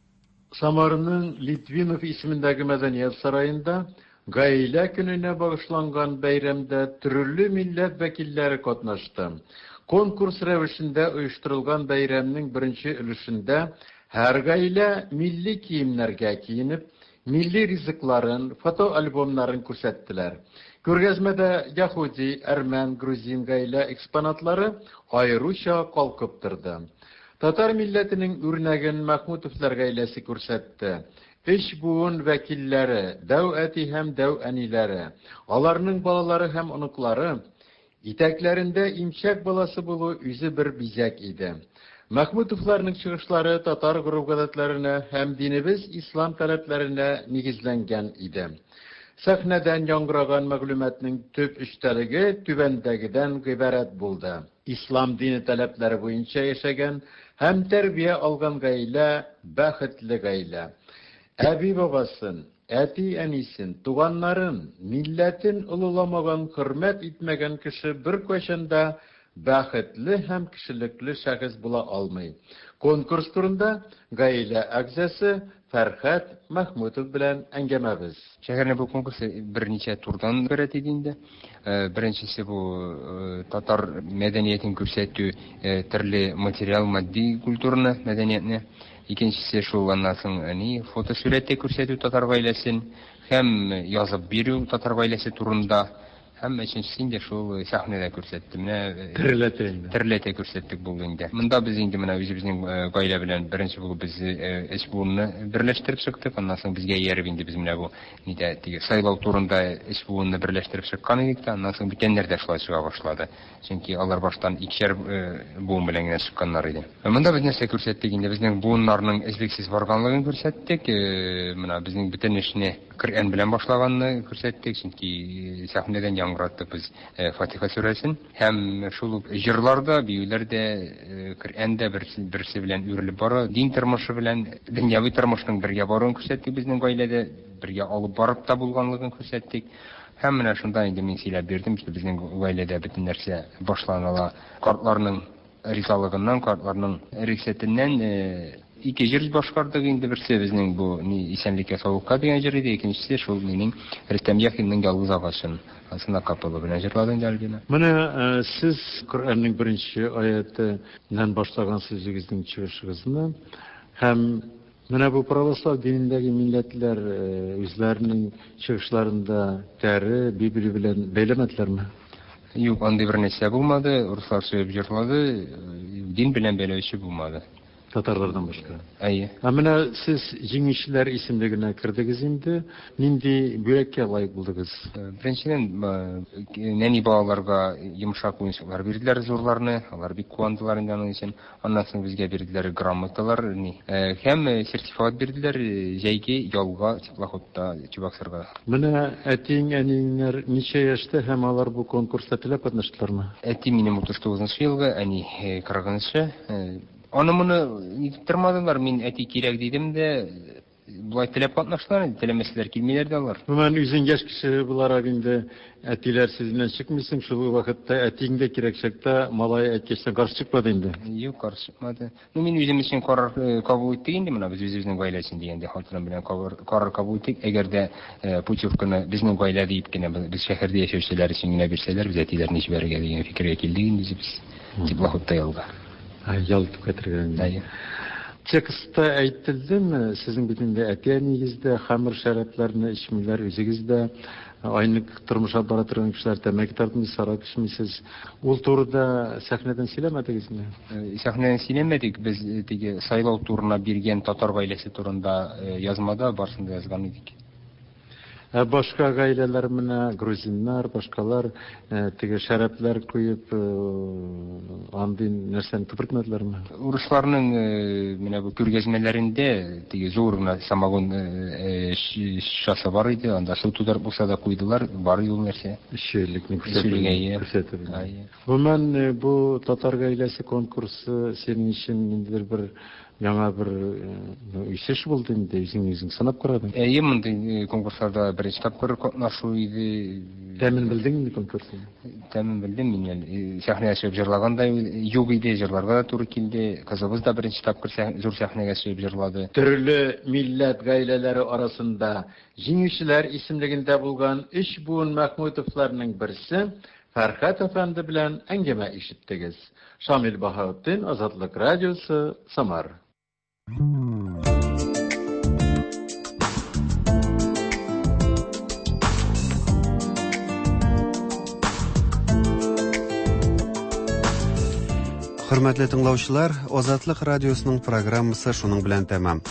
Самарның Литвинов исемендәге мәдәният сараенда Гаилә көненә багышланган бәйрәмдә төрле милләт вәкилләре катнашты. Конкурс рәвешендә оештырылган бәйрәмнең беренче өлешендә һәр гаилә милли киемнәргә киенеп, милли ризыкларын, фотоальбомнарын күрсәттеләр. Күргәзмәдә яһүди, әрмән, грузин гаилә экспонатлары аеруча калкып торды. Татар милләтенең үрнәген Мәхмүтовлар гаиләсе күрсәтте. Өч буын вәкилләре, дәү әти һәм дәү әниләре, аларның балалары һәм оныклары, итәкләрендә имчәк баласы булу үзе бер бизәк иде. Мәхмүтовларның чыгышлары татар гореф-гадәтләренә һәм динебез ислам таләпләренә нигезләнгән иде. Сәхнәдән яңгыраган мәгълүматның төп эчтәлеге түбәндәгедән гыйбарәт булды, Ислам дине таләпләре буенча яшәгән һәм тәрбия алган гаилә, бәхетле гаилә. Әби-бабасын, әти-әнисен, туганнарын, милләтен олыламаган, хөрмәт итмәгән кеше беркайчан да бәхетле һәм кешелекле шәхес була алмый. Конкурс турында гаилә әгъзасы Фәрхәт Мәхмүтов белән әңгәмәбез. Шәһәрнең бу конкурсы берничә турдан гыйбарәт иде инде. Беренчесе бу татар мәдәниятен күрсәтү, төрле материал, матди культураны, мәдәниятне. Икенчесе шул аннан соң ни фотосурәттә күрсәтү татар гаиләсен һәм язып бирү татар гаиләсе турында. Һәм өченчесе инде шул сәхнәдә күрсәтте. Менә Тереләтә инде. Тереләтә күрсәттек булды инде. Монда без инде менә үзебезнең гаилә белән беренче булып без өч буынны берләштереп чыктык. Аннан соң безгә ияреп инде без менә бу нидә теге сайлау турында өч буынны берләштереп чыккан идек тә, аннан соң бүтәннәр дә шулай чыга башлады. Чөнки алар баштан икешәр буын белән генә чыкканнар иде. Монда без нәрсә күрсәттек инде? Безнең буыннарның өзлексез барганлыгын күрсәттек. Менә безнең бөтен эшне Коръән белән башлаганны күрсәттек, чөнки сәхнәдән яңгыраттык без Фатиха сүрәсен. Һәм шул ук җырлар да, биюләр дә, Коръән дә берсе белән үрелеп бара. Дин тормышы белән дөньяви тормышның бергә баруын күрсәттек безнең гаиләдә, бергә алып барып та булганлыгын күрсәттек. Һәм менә шунда инде мин сөйләп бирдем, что безнең гаиләдә бөтен нәрсә башланыла картларның ризалыгыннан, картларның рөхсәтеннән. Ике җыр башкардык инде, берсе безнең бу ни исәнлеккә саулыкка дигән җыр иде, икенчесе шул минем Рөстәм Яхинның Ялгыз агачым. Анысын акапелла белән җырлады инде Альбина. Менә сез Коръәннең беренче аятеннән башлагансыз үзегезнең чыгышыгызны һәм менә бу православ динендәге милләтләр үзләренең чыгышларында тәре, Библия белән бәйләмәделәрме? Юк, андый бер нәрсә булмады. Руслар сөеп җырлады, дин белән бәйләүче булмады. Татарлардан башка. Әйе. Ә менә сез җиңүчеләр исемлегенә кердегез инде. Нинди бүләккә лаек булдыгыз? Беренчедән, нәни балаларга йомшак уенчыклар бирделәр, зурларны. Алар бик куандылар инде аның өчен. Аннан соң безгә бирделәр грамоталар, ни. Һәм сертификат бирделәр җәйге ялга теплоходта Чебоксарга. Менә әтиең, әниеңнәр ничә яшьтә һәм алар бу конкурста теләп катнаштылармы? Әти минем 39 нчы елгы, әни 40 нчы. Аны-моны нитеп тормадылар, мин әти кирәк дидем дә, болай теләп катнаштылар инде, теләмәсәләр килмиләр дә алар. Гомумән, үзең яшь кеше буларак инде әтиләр сүзеннән чыкмыйсың, шул ук вакытта әтиең дә кирәк чакта малай әйткәчтән каршы чыкмады инде. Юк, каршы чыкмады. Ну, мин үзем өчен карар кабул иттек инде, менә без үзебезнең гаилә өчен дигәндәй, хатыным белән карар кабул иттек. Әгәр дә путевканы безнең гаилә диеп кенә, без шәһәрдә яшәүчеләр өчен генә бирсәләр, без әтиләрне җибәрергә дигән фикергә килдек инде үзебез, теплоходта ялга. Ял итеп кайтырга инде. Әйе. Текстта әйтелдеме, сезнең бит инде әти-әниегез дә хәмер шәрабләрне эчмиләр, үзегез дә айнык тормыш алып бара торган кешеләр, тәмәке тартмыйсыз, аракы эчмисез. Ул турыда сәхнәдән сөйләмәдегезме? Сәхнәдән сөйләмәдек, без теге сайлау турына биргән татар гаиләсе турында язмада барысын да язган идек. Ә башка гаиләләр менә грузиннар, башкалар теге шәрабләр куеп андый нәрсәне күпертмәделәрме? Урысларның менә бу күргәзмәләрендә теге зур гына самогон шешәсе бар иде, анда су тутырып булса да куйдылар, бар иде ул нәрсә. Эчүлекне күрсәтеп. Гомумән, бу татар гаиләсе конкурсы синең өчен ниндидер бер Яңа бер үсеш булды инде, үзеңне үзең сынап карадың. Әйе, мондый конкурсларда беренче тапкыр катнашу иде. Тәмен белдең инде конкурсның? Тәмен белдем мин әле. Сәхнәгә чыгып җырлаган да юк иде, җырларга да туры килде. Кызыбыз да беренче тапкыр зур сәхнәгә чыгып җырлады. Төрле милләт гаиләләре арасында җиңүчеләр исемлегендә булган өч буын Мәхмүтовларның берсе Фәрхәт әфәнде белән әңгәмә ишеттегез. Шамил Баһаутдин, Азатлык радиосы, Самар. Хөрмәтле тыңлаучылар, Азатлык радиосының программасы шуның белән тәмам.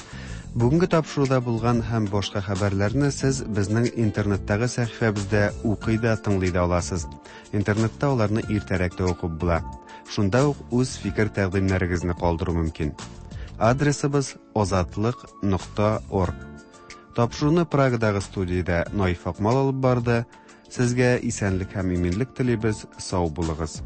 Бүгенге тапшыруда булган һәм башка хәбәрләрне сез безнең интернеттагы сәхифәбездә укый да, тыңлый да аласыз. Интернетта аларны иртәрәк тә укып була. Шунда ук үз фикер-тәкъдимнәрегезне калдыру мөмкин. Адресыбыз азатлык.орг. Тапшыруны Прагадагы студиядә Наиф Акмал алып барды. Сезгә исәнлек һәм иминлек телибез, сау булыгыз.